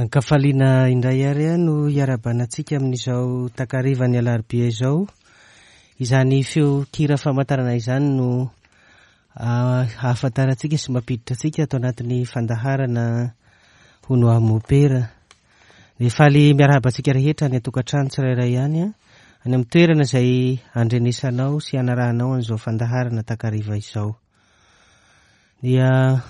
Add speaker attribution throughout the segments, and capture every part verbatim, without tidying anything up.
Speaker 1: Ankafaliana indray ary no hiarahabanantsika amin'izao takarivan'ny alarobia izao. Izany feon-kira famantarana izany no ahafantarantsika sy mampiditra antsika ato anatin'ny fandaharana hono amopera. Dia faly miarahaba antsika rehetra any an-tokantrano tsirairay ihany, any amin'ny toerana izay andrenesanao sy anarahanao an'izao fandaharana takariva izao. Dia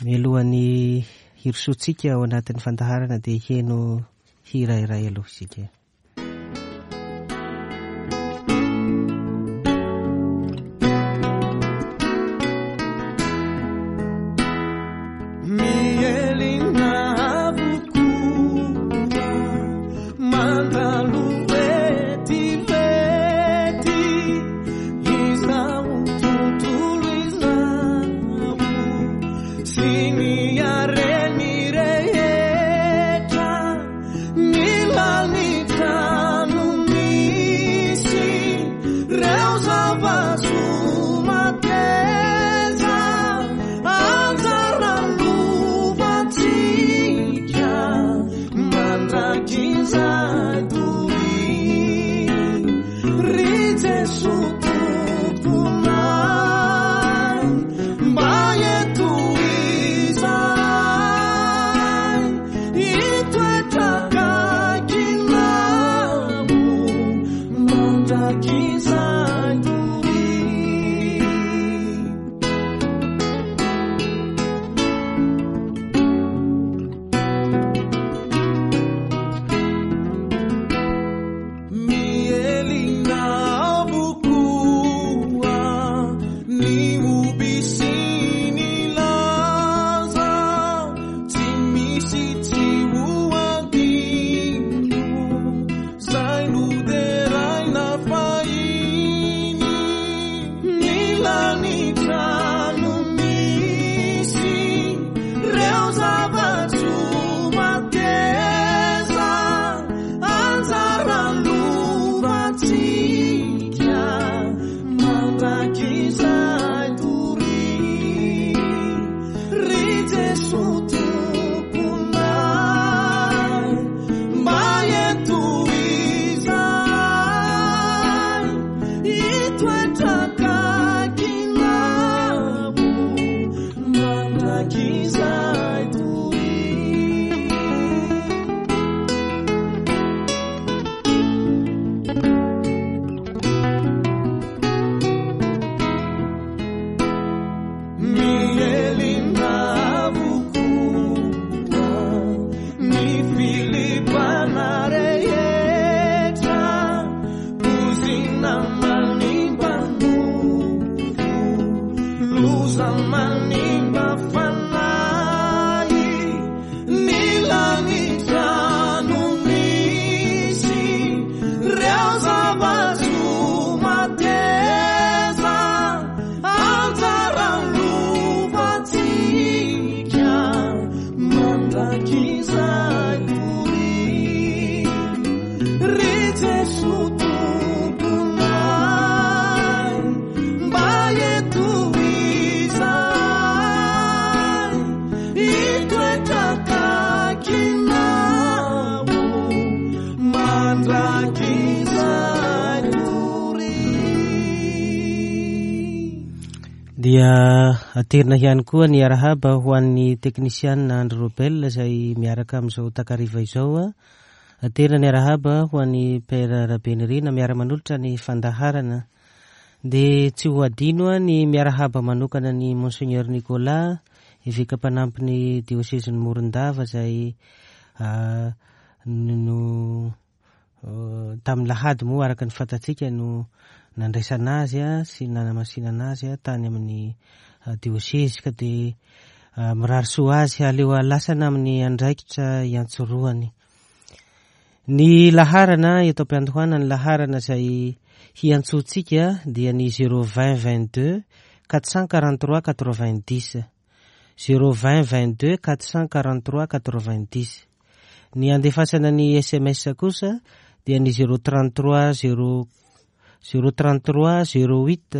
Speaker 1: mialohan'ny hirosoantsika ao anatin'ny fandaharana dia heno hira iray aloha isika. Dia aterina ihany koa ny arahaba ho an'ny teknisianina Andry Robel izay miaraka amin'izao takariva izao. Aterina ny arahaba ho an'ny Père Rabenirina miara-manolotra ny fandaharana. Dia tsy ho adino ny miarahaba manokana ny Monseigneur Nicolas, eveka mpanampy ny diosezin'i Morondava izay no tamin'ny lahady moa araka ny fantatsika no nandraisana azy sy nanamasinana azy tany amin'ny diosezy, ka dia mirary soa azy aleo alasana amin'ny andraikitra iantsorohany. Ny laharana eto am-piandohana, ny laharana izay hiantsoantsika dia ny zéro vingt vingt-deux quatre cent quarante-trois quatre-vingt-dix, zéro vingt vingt-deux quatre cent quarante-trois quatre-vingt-dix. Ny andefasana ny S M S kosa dia ny zéro trente-trois zéro zéro trente-trois zéro huit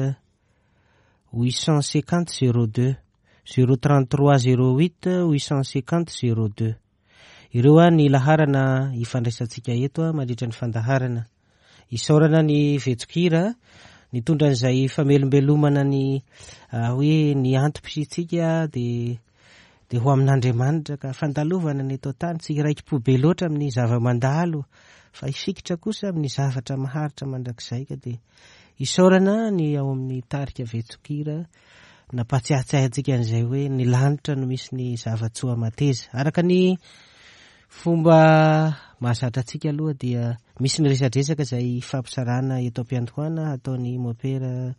Speaker 1: huit cent cinquante zéro deux, zéro trente-trois zéro huit huit cent cinquante zéro deux. Ireo a ny laharana ifandraisantsika eto a mandritra ny fandaharana. Isaorana ny Vetsokira nitondra an'izay famelombelomana ny hoe ny antom-pisiantsika dia dia ho amin'Andriamanitra ka fandalovana ny eto an-tany, tsy hiraiki-po be loatra amin'ny zava-mandalo fa hifikitra kosa amin'ny zavatra maharitra mandrakizay ka dia isaorana ny ao amin'ny tarika Vetsokira nampatsiahitsiahy antsika an'izay hoe ny lanitra no misy ny zava-tsoa mateza. Araka ny fomba mahazatra antsika aloha dia misy ny resadresaka izay fampisarana eto am-piandohana ataon'ny mopera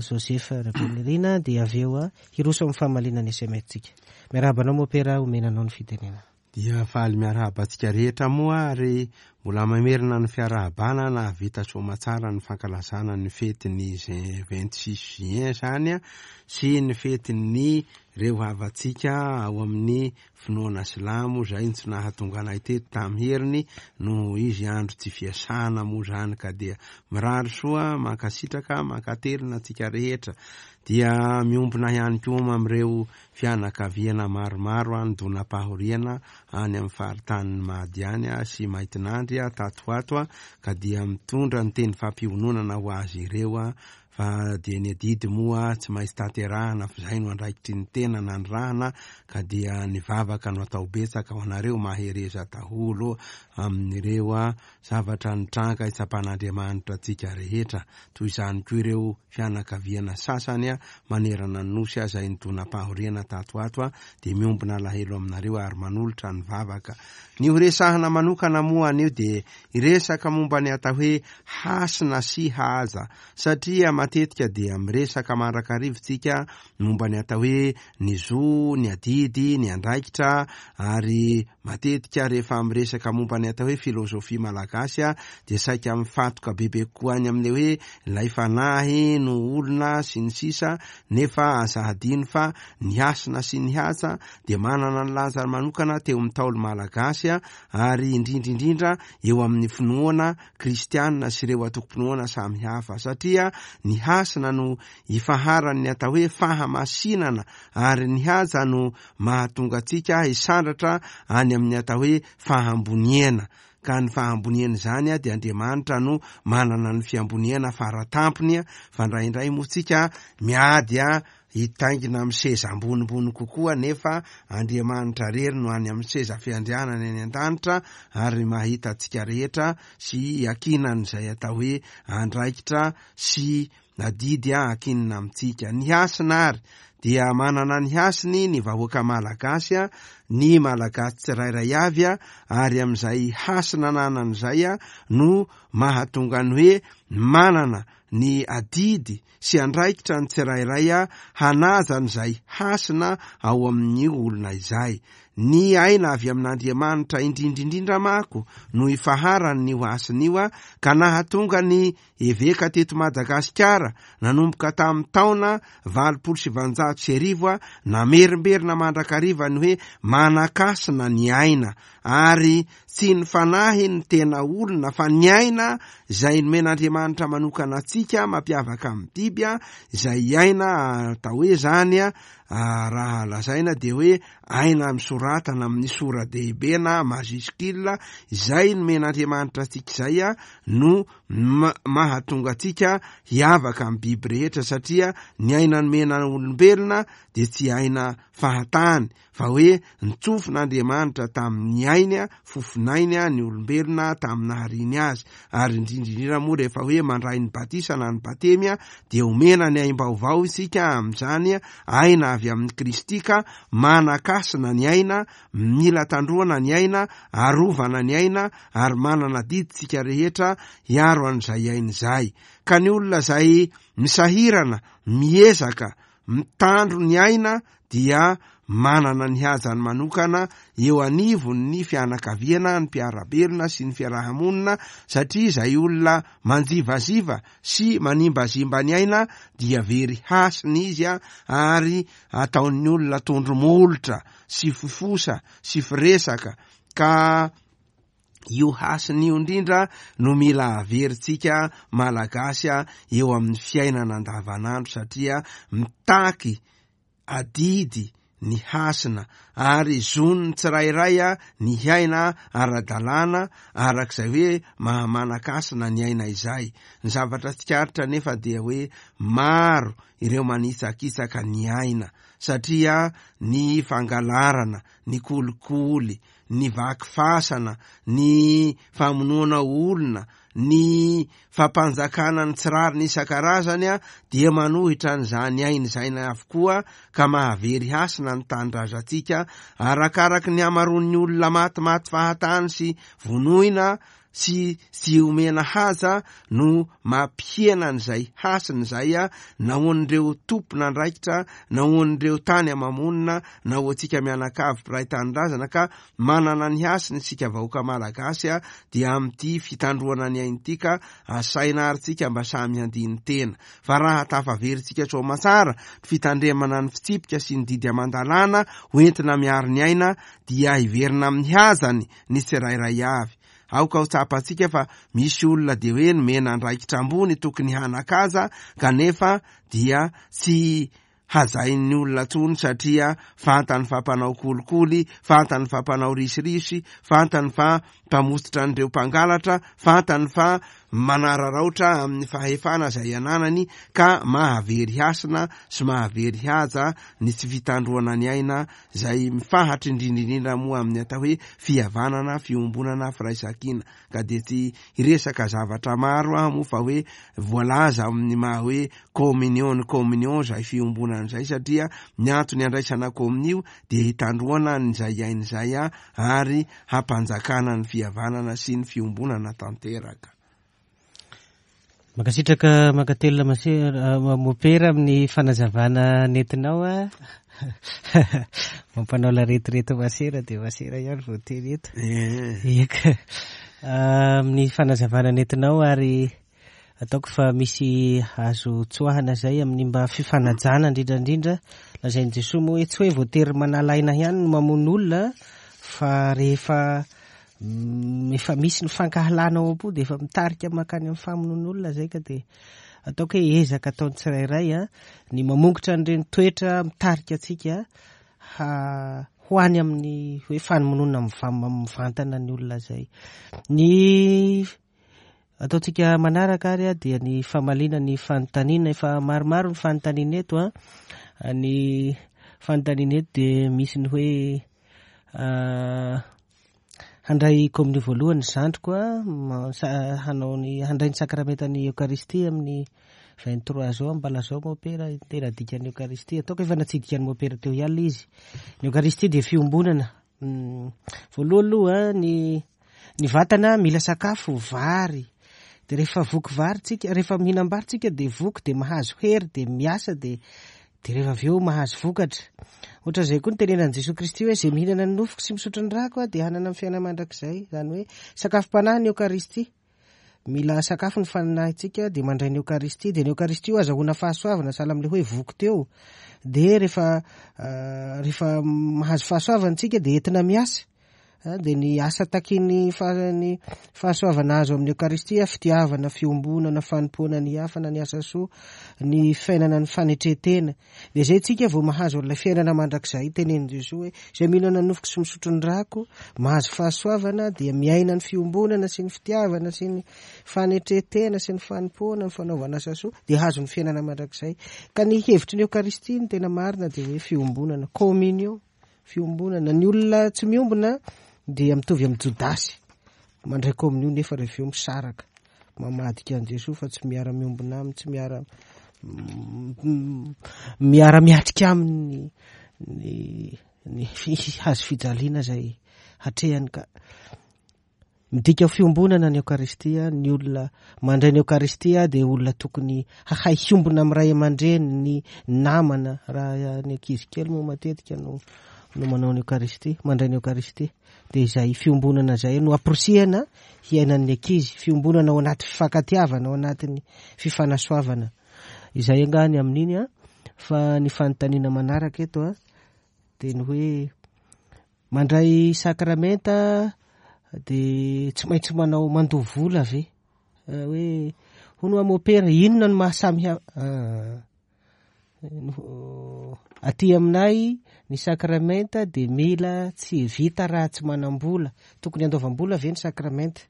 Speaker 1: Joseph Rabenirina dia avy eo a hiroso amin'ny famaliana ny S M S-tsika. Miarahaba anao mopera, omena anao ny fitenenana.
Speaker 2: Dia faly miarahaba antsika rehetra moa ary mbola mamerina ny fiarahabana nahavita soamatsara ny fankalazana ny fetin'ny vingt-six juin zany a, sy ny fetin'ny reo havantsika ao amin'ny finoana silamo izay tsy nahatonga anay teto tamin'ny heriny noho izy andro tsy fiasana moa zany ka dia mirary soa, mankasitraka, mankatelina antsika rehetra. Dia miombona ihany koa amin'ireo fianakaviana maromaro any Donapahoriana any amin'ny faritanin'ny Mahadiany sy Maitinandry tato ho ato ka dia mitondra ny teny fampiononana ho azy ireo fa dia ny adidy moa tsy maintsy tanterahana fa izay no andraikitry ny tena nanirahana ka dia ny vavaka no atao betsaka ho anareo mahereza daholo amin'ireo zavatra nitranga itsapan'Andriamanitra antsika rehetra. Toy izany koa ireo fianakaviana sasany manerana ny nosy izay nidonam-pahoriana tato ato dia miombona alahelo aminareo ary manolotra ny vavaka. Ny horesahana manokana moa anio dia hiresaka momba ny atao hoe hasina sy haza, satria matetika dia miresaka mandrakariva tsika momba ny atao hoe ny zo, ny adidy, ny andraikitra, ary matetika rehefa miresaka momba ny atao hoe filozofia malagasy dia saika mifatoka bebe kokoa any amin'ilay hoe ilay fanahy no olona sy ny sisa, nefa aza hadino fa ny hasina sy ny haza dia manana ny lanjany manokana teo amin'ny Ntaolo malagasy ary indrindra indrindra eo amin'ny finoana kristianina sy ireo antokom-pinoana samihafa, satria ny hasina no ifaharan'ny atao hoe fahamasinana ary ny haja no mahatonga antsika hisandratra any amin'ny atao hoe fahamboniana. Ka ny fahamboniana izany dia Andriamanitra no manana ny fiamboniana faratampony, fa indraindray moa tsika miady hitaingina amin'ny seza ambonimbony kokoa, nefa Andriamanitra irery no any amin'ny seza fiandrianana any an-danitra ary mahita antsika rehetra sy iankinan'izay atao hoe andraikitra sy adidy ankinina amintsika. Ny hasina ary dia manana ny hasiny ny vahoaka malagasy, ny malagasy tsirairay avy, ary amin'izay hasina ananan'izay no mahatonga ny hoe manana ny adidy sy andraikitra ny tsirairay hanaja an'izay hasina ao amin'ny olona izay. Ny aina avy amin'Andriamanitra indrindra indrindra manko no ifaharan'ny hasina io, ka nahatonga ny eveka teto Madagasikara nanomboka tamin'ny taona valopolo sy valonjato sy arivo namerimberina mandrakariva ny hoe manakasina ny aina, ary tsy ny fanahy ny tena olona fa ny aina izay nomen'Andriamanitra manokana antsika mampiavaka amin'ny biby, izay aina atao hoe zany raha lazaina dia hoe aina misoratana amin'ny sora-dehibe na majuscule, izay nomen'Andriamanitra antsika izay no mahatonga antsika hiavaka amin'ny biby rehetra, satria ny aina nomena olombelona dia tsy aina fahatany fa hoe nitsofin'Andriamanitra tamin'ny ainy, fofonainy ny olombelona tamin'ny nahariany azy. Ary indrindra indrindra moa rehefa hoe mandray ny batisa na ny batemy dia omena ny aim-baovao isika amin'izany aina avy amin'i Kristy, ka manakasina ny aina, mila tandroana ny aina, arovana ny aina, ary manana adidy tsika rehetra hiaro an'izay aina izay. Ka ny olona izay misahirana, miezaka, mitandro ny aina dia manana ny hajany manokana eo anivon'ny fianakaviana, ny mpiara-belona sy ny fiarahamonina, satria izay olona manjivaziva sy manimbazimba ny aina dia very hasina izy, ary ataon'ny olona tondro-molotra sy fifosa sy firesaka. Ka io hasina io indrindra no mila averintsika malagasy eo amin'ny fiainana andavanandro, satria mitaky adidy ny hasina ary zon'ny tsirairay ny hiaina ara-dalàna arak'izay hoe maha-manan-kasina ny aina izay. Ny zavatra tsikaritra nefa dia hoe maro ireo manitsakitsaka ny aina satria ny fangalarana, ny kolikoly, ny vaky fasana, ny famonoana olona, ny fampanjakana ny tsy rariny isan-karazany dia manohitra an'izany aina izay avokoa ka mahavery hasina ny tanindrazantsika. Arakaraky ny hamaroan'ny olona matimaty fahatany sy vonoina sy tsy omena haja no mampihena an'izay hasina izay, na ho an'ireo tompon'andraikitra, na ho an'ireo tany ama-monina, na ho antsika mianakavy mpiray tanindrazana ka manana ny hasina isika vahoaka malagasy dia amin'ity fitandroana ny aina ity ka asaina ary tsika mba samy handini-tena. Fa raha tafaverintsika soamantsara ny fitandremana ny fitsipika sy ny didy aman-dalàna ho entina miaro ny aina dia hiverina amin'ny hazany ny tsirairay avy. Aoka ho tsapantsika fa misy olona dia hoe nomena andraikitra ambony tokony hanan-kaja kanefa dia tsy hajain'ny olona intsony satria fantany fa mpanao kolikoly, fantany fa mpanao risirisy, fantany fa mpamotsitra an'ireo mpangalatra, fantany fa manararaotra amin'ny fahefana izay ananany ka mahavery hasina sy mahavery haja ny tsy fitandroana ny aina izay mifahatra indrindra indrindra moa amin'ny atao hoe fihavanana, fiombonana, firaisankina. Ka dia tsy hiresaka zavatra maro aho moa fa hoe voalaza amin'ny maha hoe communion ny communion izay fiombonana izay satria ny antony andraisana communio dia hitandroana an'izay aina izay ary hampanjakana ny fihavanana sy ny fiombonana tanteraka.
Speaker 1: Mankasitraka mankatelina masera mopera amin'ny fanazavana nentinao a. Mampanao laretireto masera dia masera ihany vao teny eto. Eka. Amin'ny fanazavana nentinao ary ataoko fa misy azo tsoahana izay amin'ny mba fifanajana indrindra indrindra. Lazain'i Jesoa moa hoe tsy hoe voatery manala aina ihany no mamono olona fa rehefa efa misy ny fankahalana ao am-po dia efa mitarika mankany amin'ny famonoan'olona izay ka dia ataoko hoe ezaka ataon'ny tsirairay a ny mamongotra an'ireny toetra mitarika antsika ha ho any amin'ny hoe famonoana mivantana ny olona izay. Ny ataontsika manaraka ary a dia ny famaliana ny fanontaniana. Efa maromaro ny fanontaniana eto a. Ny fanontaniana eto dia misy ny hoe handray komonio voalohany zandriko a, hanao ny handray ny sakramentan'ny Eokaristia amin'ny vingt-trois zao. Mba lazao mopera tena dikan'ny Eokaristia. Ataoko efa natsidika ny mopera teo ihany izy. Ny Eokaristia dia fiombonana. Voalohany aloha ny ny vatana mila sakafo vary. Dia rehefa voky vary tsika, rehefa mihinam-bary tsika dia voky, dia mahazo hery, dia miasa, dia dia rehefa avy eo mahazo vokatra. Ohatra izay koa ny tenenan'i Jesoa Kristy hoe izay mihinana ny nofoko sy misotro ny rako dia hanana ny fiainana mandrakizay. Izany hoe sakafom-panahy ny Eokaristia. Mila sakafo ny fanahintsika dia mandray ny Eokaristia. Dia ny Eokaristia io azahoana fahasoavana, sahala amin'ilay hoe voky teo. Dia rehefa rehefa mahazo fahasoavana tsika dia entina miasa. Dia ny asa takin'ny ny fahasoavana azo amin'ny Eokaristia, fitiavana, fiombonana, fanompoana ny hafa na ny asa soa, ny fiainana ny fanetren-tena. Dia izay tsika vao mahazo an'ilay fiainana mandrakizay. Tenenin'i Jesoa hoe izay mihinana ny nofoko sy misotro ny rako mahazo fahasoavana dia miaina ny fiombonana sy ny fitiavana sy ny fanetren-tena sy ny fanompoana, ny fanaovana asa soa, dia hazo ny fiainana mandrakizay. Ka ny hevitry ny Eokaristia ny tena marina dia hoe fiombonana, communion, fiombonana. Ny olona tsy miombona dia mitovy amin'ny Jodasy mandray komonio nefa rehefa eo misaraka, mamadika an'i Jesoa fa tsy miara-miombona aminy, tsy miara miara-miatrika aminy ny ny hazo fijaliana izay hatrehany. Ka midika fiombonana ny Eokaristia. Ny olona mandray ny Eokaristia dia olona tokony hahay hiombona amin'ny ray aman-dreny, ny namana. Raha ny ankizy kely moa matetika no no manao ny Eokaristia, mandray ny Eokaristia, dia izay fiombonana izay no amporisihana hiainan'ny ankizy, fiombonana ao anaty fifankatiavana, ao anatin'ny fifanasoavana. Izay angaha ny amin'iny a. Fa ny fanontaniana manaraka eto a dia ny hoe mandray sakramenta dia tsy maintsy manao mandoa vola ve? Hoe hono mopera inona no mahasamy hafa Aty aminay ny sakramenta dia mila tsy vita raha tsy manam-bola. Tokony handoavam-bola ve ny sakramenta?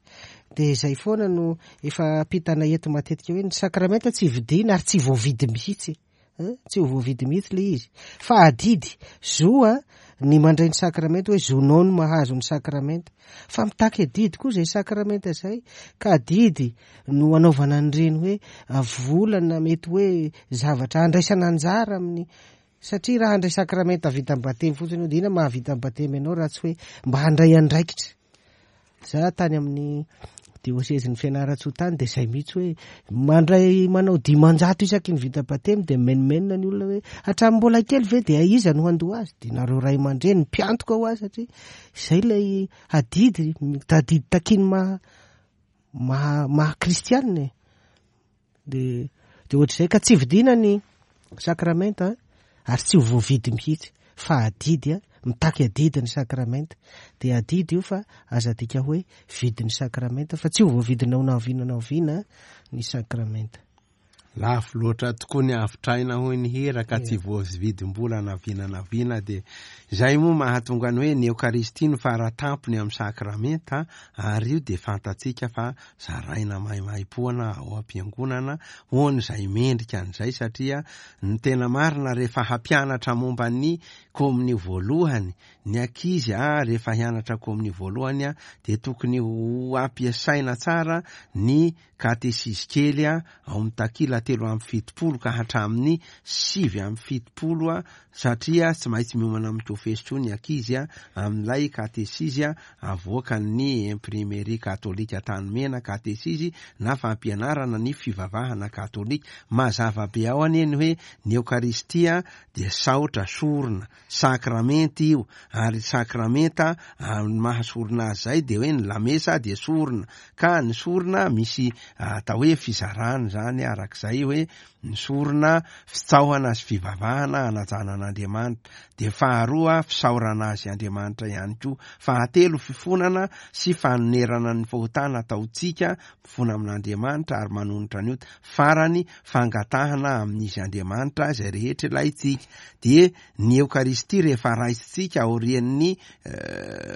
Speaker 1: Dia izay foana no efa ampitanay eto matetika hoe ny sakramenta tsy vidiana ary tsy voavidy mihitsy. Tsy ho voavidy mihitsy ilay izy. Fa adidy, zo a, ny mandray ny sakramenta hoe zonao no mahazo ny sakramenta. Fa mitaky adidy koa izay sakramenta izay. Ka adidy no anaovana an'ireny hoe vola na mety hoe zavatra andraisana anjara amin'ny. Satria raha handray sakramenta vita amin'ny batemy fotsiny io dia inona mahavita amin'ny batemy ianao raha tsy hoe mba handray andraikitra. Za tany amin'ny diosezin'ny Fianarantsoa tany dia izay mihitsy hoe mandray manao dimanjato isaky ny vita batemy dia menomenona ny olona hoe hatramin'ny mbola kely ve dia iza no handoa azy? Dia nareo ray aman-dreny mpiantoka ho azy satria izay ilay adidy, adidy takiany maha, maha, maha kristianina e. Dia, dia ohatr'izay ka tsy vidiana ny sakramenta ary tsy ho voavidy mihitsy fa adidy, mitaky adidy ny sakramenta. Dia adidy io fa aza adika hoe vidy ny sakramenta fa tsy ho voavidinao na oviana na oviana ny sakramenta.
Speaker 2: Lafo loatra tokoa ny avotraina hoy ny hira ka tsy voavidim-bola na oviana na oviana. Dia izay moa mahatonga ny hoe ny Eokaristia no faratampony amin'ny sakramenta ary io dia fantatsika fa zaraina maimaimpoana ao am-piangonana ho an'izay mendrika an'izay satria ny tena marina rehefa hampianatra momba ny komonio voalohany ny ankizy a rehefa hianatra komonio voalohany a dia tokony ho ampiasaina tsara ny katesizy kely a ao amin'ny takila telo amby fitopolo ka hatramin'ny sivy amby fitopolo a satria tsy maintsy miomana amin'ny kofesy koa ny ankizy a amin'ilay katesizy a avoakan'ny imprimerie katolika Antanimena katesizy na fampianarana ny fivavahana katolika. Mazava be ao anie ny hoe ny Eokaristia dia saotra sorona sakramenta io ary sakramenta amin'ny maha sorona azy zay dia hoe ny lamesa dia sorona ka ny sorona misy atao hoe fizarana zany arak'izay hoe ny sorona fitsaohana sy fivavahana hanajana an'Andriamanitra, dia faharoa fisaorana azy Andriamanitra ihany koa, fahatelo fifonana sy fanonerana ny fahotana ataontsika mifona amin'Andriamanitra ary manonitra ny ota, farany fangatahana amin'izy Andriamanitra izay rehetra ilaintsika. Dia ny Eokaristia rehefa raisintsika aorian'ny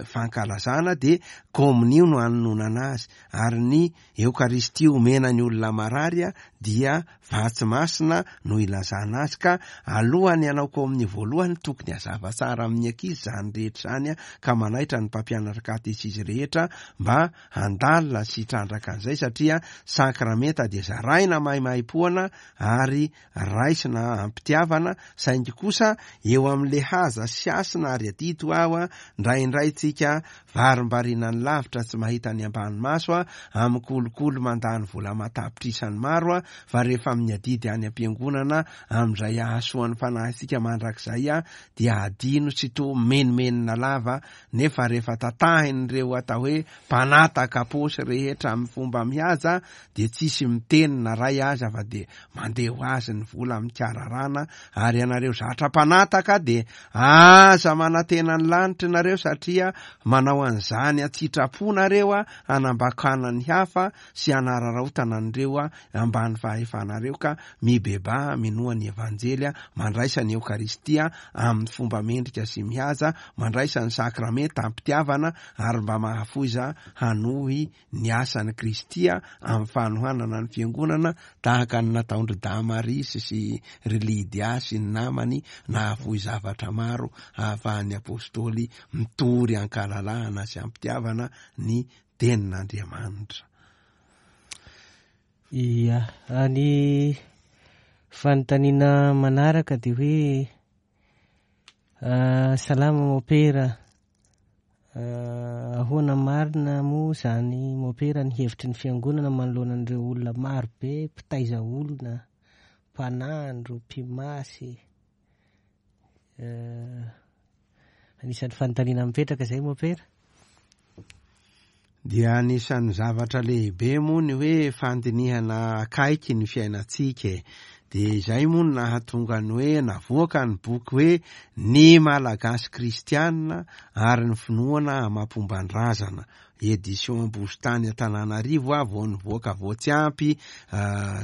Speaker 2: fankalazana dia komonio no anononana azy, ary ny Eokaristia omena ny olona marary dia vatsy masina no ilazana azy. Ka alohan'ny hanao komonio voalohany tokony hazava tsara amin'ny ankizy izany rehetra izany ka manaitra ny mpampianatra katesizy rehetra mba handalina sy hitrandraka an'izay satria sakramenta dia zaraina maimaipoana ary raisina am-pitiavana, saingy kosa eo amin'le haza sy hasina ary adidy ho aho indraindray tsika varimbariana ny lavitra tsy mahita ny ambany maso a amin'ny kolikoly mandany vola matapitrisany maro a fa rehefa amin'ny adidy any am-piangonana amin'izay ahasoan'ny fanahintsika mandrakizay a dia adino tsy to menomenona lava, nefa rehefa tatahin'ireo atao hoe mpanataka paosy rehetra amin'ny fomba mihaja dia tsisy miteny na ray aza fa dia mandeha ho azy ny vola mikararana. Ary ianareo zatra mpanataka dia aza manantena ny lanitra nareo satria manao an'izany an-tsitrapo nareo a hanambakana ny hafa sy hanararaotana an'ireo a ambany fahefanareo. Ka mibebaha, minoa ny Evanjely a mandraisa ny Eokaristia amin'ny fomba mendrika sy mihaja, mandraisa ny sakramenta am-pitiavana ary mba mahafoiza hanohy ny asan'i Kristy amin'ny fanohanana ny fiangonana tahaka ny nataon-dry Damarisy sy ry Lydia sy ny namany nahafoy zavatra maro ahafahan'ny apôstôly mitory ankalalahana sy am-pitiavana ny tenin'Andriamanitra.
Speaker 1: Ia, ny fanontaniana manaraka dia hoe salama mopera, ahoana marina moa zany mopera ny hevitry ny fiangonana manoloana an'ireo olona maro be mpitaiza olona, mpanandro, mpimasy? Anisan'ny fanontaniana mipetraka izay mopera.
Speaker 2: Dia anisan'ny zavatra lehibe moa ny hoe fandinihana akaiky ny fiainantsika e. Dia izay moa no nahatonga ny hoe navoaka ny boky hoe ny Malagasy Kristianina ary ny finoana amam-pomban-drazana. Édition Ambositany Antananarivo a vao nivoaka vao tsy ampy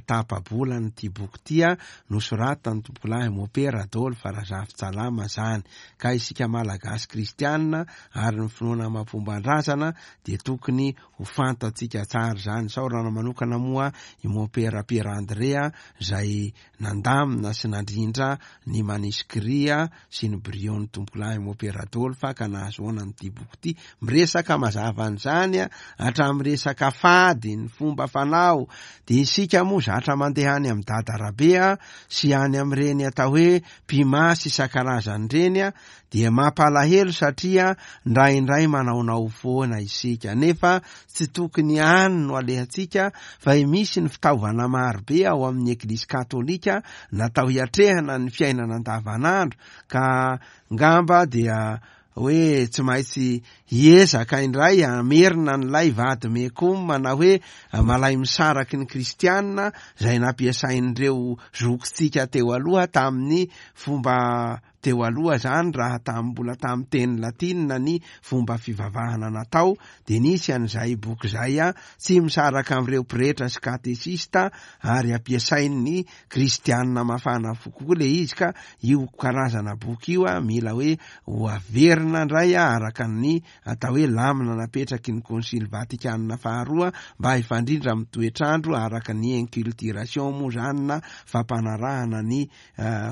Speaker 2: tapa-bolana ity boky ity a nosoratan'ny tompokolahy Mopera Adolphe Razafintsalama zany. Ka isika Malagasy kristianina ary ny finoana amam-pomban-drazana dia tokony ho fantatsika tsara zany. Isaorana manokana moa i Mopera Pierre André zay nandamina sy nandrindra ny manuscrit sy ny brouillon tompokolahy Mopera Adolphe ka nahazoana an'ity boky ity. Miresaka mazava an'izany hatramin'ny resaka fady, ny fomba fanao. Dia isika moa zatra mandeha any amin'ny Dadarabe sy any amin'ireny atao hoe mpimasy isan-karazany ireny dia mampalahelo satria indraindray manaonao foana isika, nefa tsy tokony any no alehantsika fa misy ny fitaovana marobe ao amin'ny Eglizy katolika natao hiatrehana ny fiainana andavanandro, ka ngamba dia hoe tsy maintsy hiezaka indray hamerina an'ilay vady mekoma na hoe malay misaraky ny kristianina izay nampiasain'ireo zokintsika teo aloha tamin'ny fomba teo aloha zany. Raha tamin'ny mbola tamin'ny teny latinina ny fomba fivavahana natao dia nisy an'izay boky izay a tsy misaraka amin'ireo pretra sy katesista ary ampiasain'ny kristianina mafana fo kokoa le izy. Ka io karazana boky io a mila hoe ho averina indray a araka ny atao hoe lamina napetraky ny Konsily Vatikanina faharoa mba hifandrindra amin'ny toetrandro araka ny inculturation moa zany na fampanarahana ny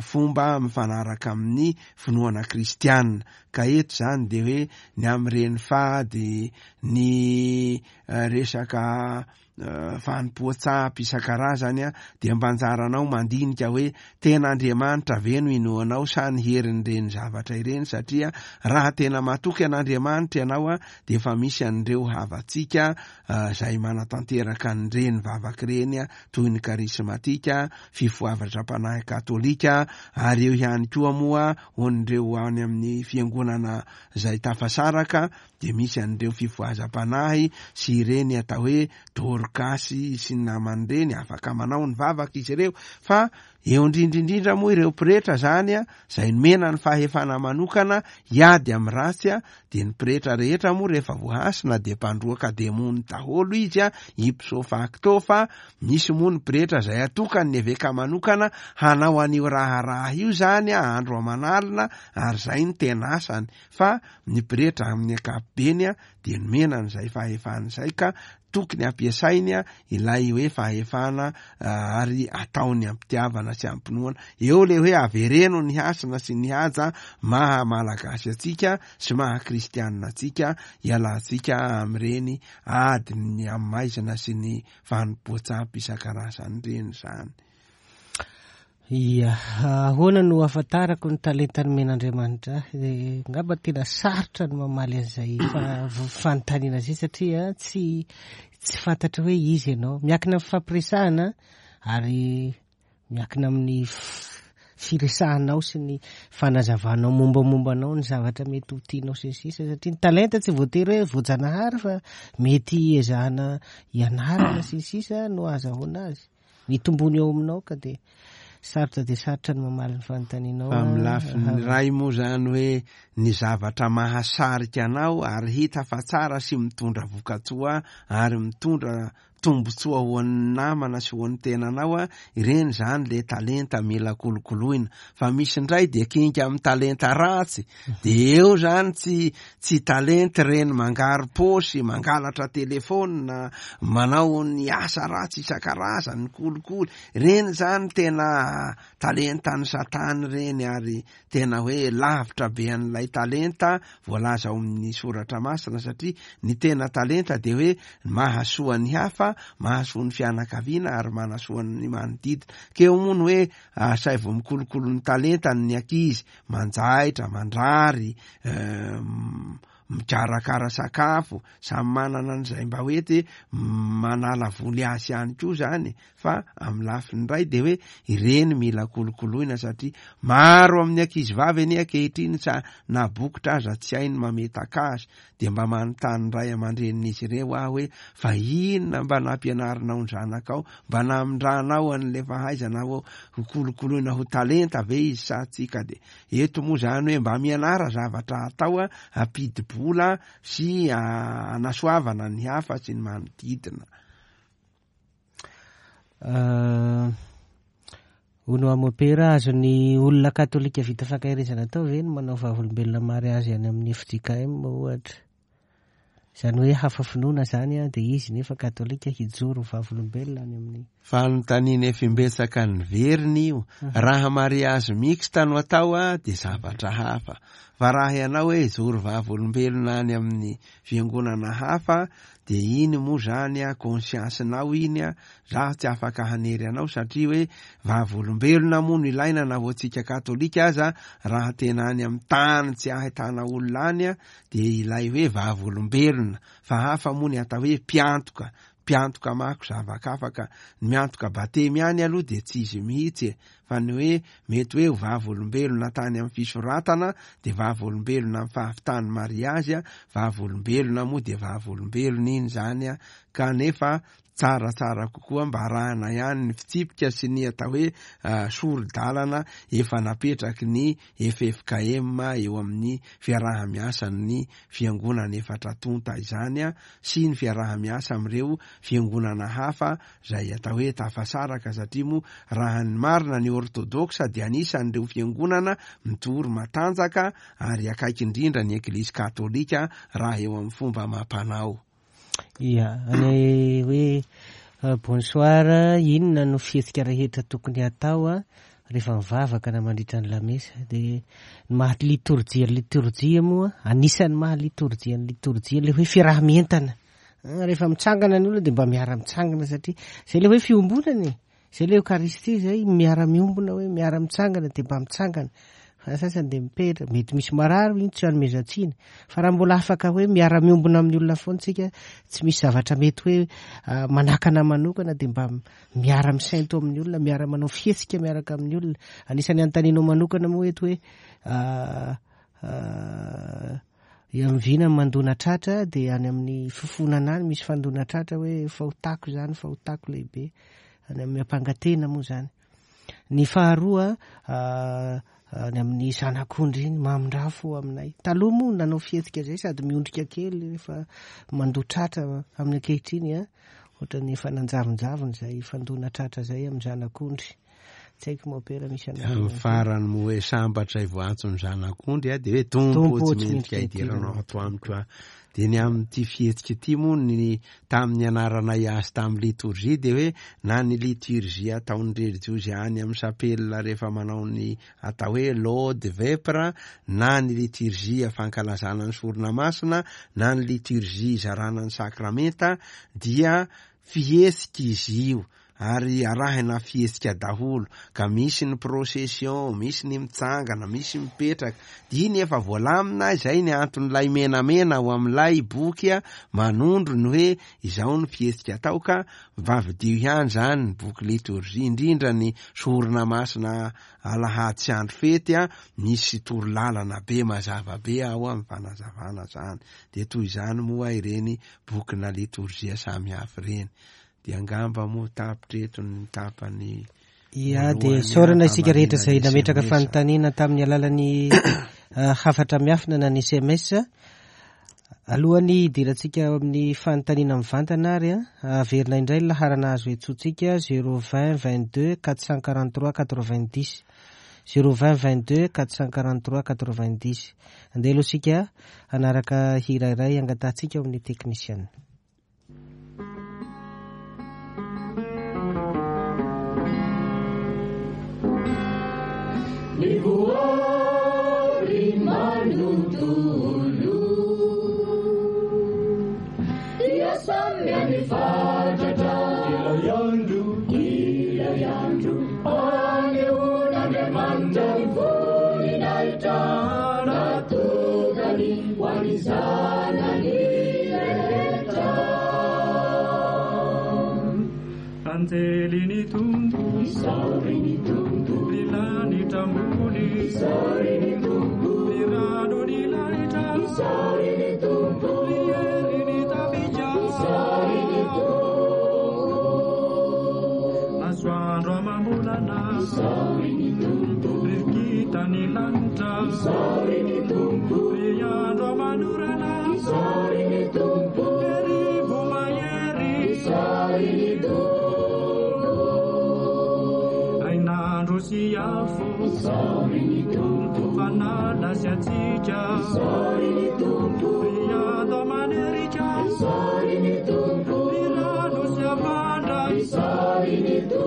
Speaker 2: fomba mifanaraka amin'ny finoana kristianina. Ka eto zany de hoe ny amin'ireny fady, ny resaka fanompoan-tsampy isan-karazany a dia mba anjaranao mandinika hoe tena Andriamanitra ve no inoanao sa ny herin'ireny zavatra ireny, satria raha tena matoky an'Andriamanitra ianao a dia efa misy an'ireo havantsika izay manatanteraka an'ireny vavaka ireny a toy ny karismatika, fifohavatra-panahy katolika, ary eo ihany koa moa ho an'ireo any amin'ny fiangonana izay tafasaraka dia misy an'ireo fifohazam-panahy sy ireny atao hoe dorkasy sy ny naman'ireny, afaka manao ny vavaka izy ireo. Fa eo indrindrindrindra moa ireo pretra zany a izay nomena ny fahefana manokana hiady amin'ny ratsy a dia ny pretra rehetra moa rehefa voahasina dia mpandroaka demony daholo izy a ipso facto. Fa misy moa ny pretra izay atokany ny eveka manokana hanao an'io raharaha io zany a andro aman'alina, ary izay ny tena asany. Fa ny pretra amin'ny ankapobeny a dia nomena an'izay fahefana izay ka tokony ampiasainy a ilay hoe fahefana ary ataony am-pitiavana sy am-pinoana. Eo le hoe avereno ny hasina sy ny haja maha malagasy antsika sy maha kristianina antsika, ialantsika amin'ireny ady ny amin'ny maizina sy ny fanompoan-tsampy isan-karazany ireny zany.
Speaker 1: Ia, ahoana no ahafantarako ny talenta nomen'Andriamanitra? Ngamba tena sarotra ny mamaly an'izay fanontaniana izay satria tsy tsy fantatra hoe izy ianao. Miankina amin'ny fampiresahana ary miankina amin'ny firesahanao sy ny fanazavanao mombamomba anao ny zavatra mety ho tianao sy ny sisa, satria ny talenta tsy voatery hoe voajanahary fa mety ezahana ianarana sy ny sisa no ahazahoana azy. Ny tombony eo aminao ka dia sarotra dia sarotra ny mamaly ny fanontanianao.
Speaker 2: Fa amin'ny lafiny iray moa zany hoe ny zavatra mahasarika anao ary hita fa tsara sy mitondra vokatsoa ary mitondra tombontsoa ho an'ny namana sy ho an'ny tenanao a ireny zany le talenta mila kolokoloina. Fa misy indray dia kinga amin'ny talenta ratsy dia eo zany tsy tsy talenta ireny mangaro paosy, mangalatra telefôna, manao ny asa ratsy isan-karazany, ny kolikoly ireny zany tena talentan'ny satana ireny, ary tena hoe lavitra be an'ilay talenta voalaza ao amin'ny soratra masina, satria ny tena talenta dia hoe mahasoa ny hafa, mahasoa ny fianakaviana ary manasoa ny manodidina. Keo moa ny hoe asaivo mikolokolo ny talentany ny ankizy, manjaitra, mandrary, mikarakara sakafo, samy manana an'izay mba hoe te manala voly azy ihany koa zany. Fa amin'ny lafiny iray dia hoe ireny mila kolokoloina, satria maro amin'ny ankizy vavy anie ankehitriny sa na bokotra aza tsy hainy mametaka azy, dia mba manontany ray aman-drenin'izy ireo aho hoe fa inona mba nampianarinao ny zanakao, mba namindranao an'ilay fahaizana ho kolokoloina ho talenta ve izy sa tsy? Ka dia eto moa zany hoe mba mianara zavatra atao a ampidi-bola ara-bola sy anasoavana ny hafa sy ny manodidina.
Speaker 1: Hono amopera, azon'ny olona katolika vita fankaherezana atao ve ny manao vavolombelona mariazy any amin'ny F J K M ohatra? Izany hoe hafa finoana zany a, dia izy nefa katolika hijoro vavolombelona any amin'ny
Speaker 2: fanontaniana efa imbetsaka ny veriny io. Raha mariazy mixte no atao a, dia zavatra hafa. Fa raha ianao hoe hijoro vavolombelona any amin'ny fiangonana hafa, dia iny moa zany a, conscience-nao iny a, zaho tsy afaka hanery anao satria hoe vavolombelona moa no ilaina na ho antsika katolika aza, raha tena any amin'ny tany tsy ahitana olona any a, dia ilay hoe vavolombelona. Fa hafa moa ny atao hoe mpiantoka. Mpiantoka mako zavakafaka. Ny miantoka batemy ihany aloha dia tsy izy mihitsy e. Fa ny hoe mety hoe ho vavolombelona tany amin'ny fisoratana, dia vavolombelona amin'ny fahavitan'ny mariazy a, vavolombelona moa dia vavolombelona iny zany a. Kanefa tsaratsara kokoa mba arahana ihany ny fitsipika sy ny atao hoe sori-dalana efa napetraky ny F F K M eo amin'ny fiaraha-miasan'ny fiangonana efatra tonta izany a, sy ny fiaraha-miasa amin'ireo fiangonana hafa izay atao hoe tafasaraka, satria moa raha ny marina ny ortodoksa dia anisan'ireo fiangonana mijoro matanjaka ary akaiky indrindra ny eglizy katolika raha eo amin'ny fomba amam-panao.
Speaker 1: Ia, ny hoe bonsoir, inona no fihetsika rehetra tokony hatao a rehefa mivavaka na mandritra ny lamesa? Dia ny maha litorjia litorjia moa, anisan'ny maha litorjia ny litorjia ilay hoe fiaraha-mientana. Rehefa mitsangana ny olona dia mba miara-mitsangana, satria izay ilay hoe fiombonana e. Izay ilay Eucharistie izay, miara-miombona hoe miara-mitsangana dia mba mitsangana. Fa ny sasany dia mipetra, mety misy marary iny tsy anomezan-tsiny. Fa raha mbola afaka hoe miara-miombona amin'ny olona foana tsika, tsy misy zavatra mety hoe manakana manokana, dia mba miara-misento amin'ny olona, miara-manao fihetsika miaraka amin'ny olona. Anisan'ny anontanianao manokana moa eto hoe, amin'ny mandona tratra, dia any amin'ny fifonana any misy fandona tratra hoe fahotako izany, fahotako lehibe, any amin'ny ampangatena moa izany. Ny faharoa, any amin'ny zanak'ondry iny, mamindrafo aminay. Taloha moa nanao fihetsika izay sady miondrika kely rehefa mandoa tratra amin'ny ankehitriny a, ohatran'ny efa nanjavonjavona izay fandona tratra izay amin'ny zanak'ondry. Tsy haiko mopera misy anareo.
Speaker 2: Amin'ny farany moa hoe sambatra izay voantson'ny zanak'ondry a, dia hoe Tompo tsy mendrika hidiranao ato amiko a. Dia ny amin'ity fihetsika ity moa ny tamin'ny anaranay azy tamin'ny litorjia dia hoe na ny litorjia ataon'ny relijiozy any amin'ny sapelina rehefa manao ny atao hoe laude vepre, na ny litorjia fankalazana ny sorona masina, na ny litorjia izarana ny sakramenta, dia fihetsika izy io. Ary arahina fihetsika daholo, ka misy ny procession, misy ny mitsangana, misy mipetraka. Dia iny efa voalamina izay ny anton'ilay menamena ao amin'ilay boky a, manondro ny hoe izao ny fihetsika atao, ka mivavadio ihany izany ny boky litorjia, indrindra ny sorona masina alahady sy andro fety a, misy torolalana be mazava be ao amin'ny fanazavana izany. Dia toy izany moa ireny bokina litorjia samihafa ireny. Dia angamba moa tapitra eto ny tapany.
Speaker 1: Ia, dia isaorana isika rehetra izay nametraka fanontaniana tamin'ny alalan'ny hafatra miafina na ny S M S. Alohan'ny hidirantsika amin'ny fanontaniana mivantana ary a, averina indray ny laharana azo iantsoantsika zéro vingt vingt-deux quatre cent quarante-trois quatre-vingt-dix. zéro vingt vingt-deux quatre cent quarante-trois quatre-vingt-dix. Andeha aloha isika hanaraka hira iray angatahantsika ao amin'ny teknisiana.
Speaker 3: Ny manontolo dia samy any fatratra, ilay andro, ilay andro anehoan'Andriamanitra ny voninahitra natokany ho an'ny zanany rehetra.
Speaker 4: Anjely ny Tompo,
Speaker 3: isaory ny Tompo,
Speaker 4: ny lanitra ambony,
Speaker 3: isaory ny Tompo,
Speaker 4: ny rano ny lanitra,
Speaker 3: isaory ny Tompo,
Speaker 4: ny hery ny tafika,
Speaker 3: isaory ny Tompo,
Speaker 4: masoandro amam-bolana,
Speaker 3: isaory ny Tompo,
Speaker 4: rivotra ny lanitra,
Speaker 3: isaory ny Tompo,
Speaker 4: ny andro aman'orana,
Speaker 3: Isaory ny Tompo,
Speaker 4: rivo mahery,
Speaker 3: isaory ny Tompo,
Speaker 4: hainandro sy afo,
Speaker 3: isaory ny Tompo,
Speaker 4: fanala sy hatsiaka,
Speaker 3: isaory ny Tompo,
Speaker 4: ry ando aman'erika,
Speaker 3: isaory ny Tompo,
Speaker 4: ry rano sy havandra,
Speaker 3: isaory ny Tompo.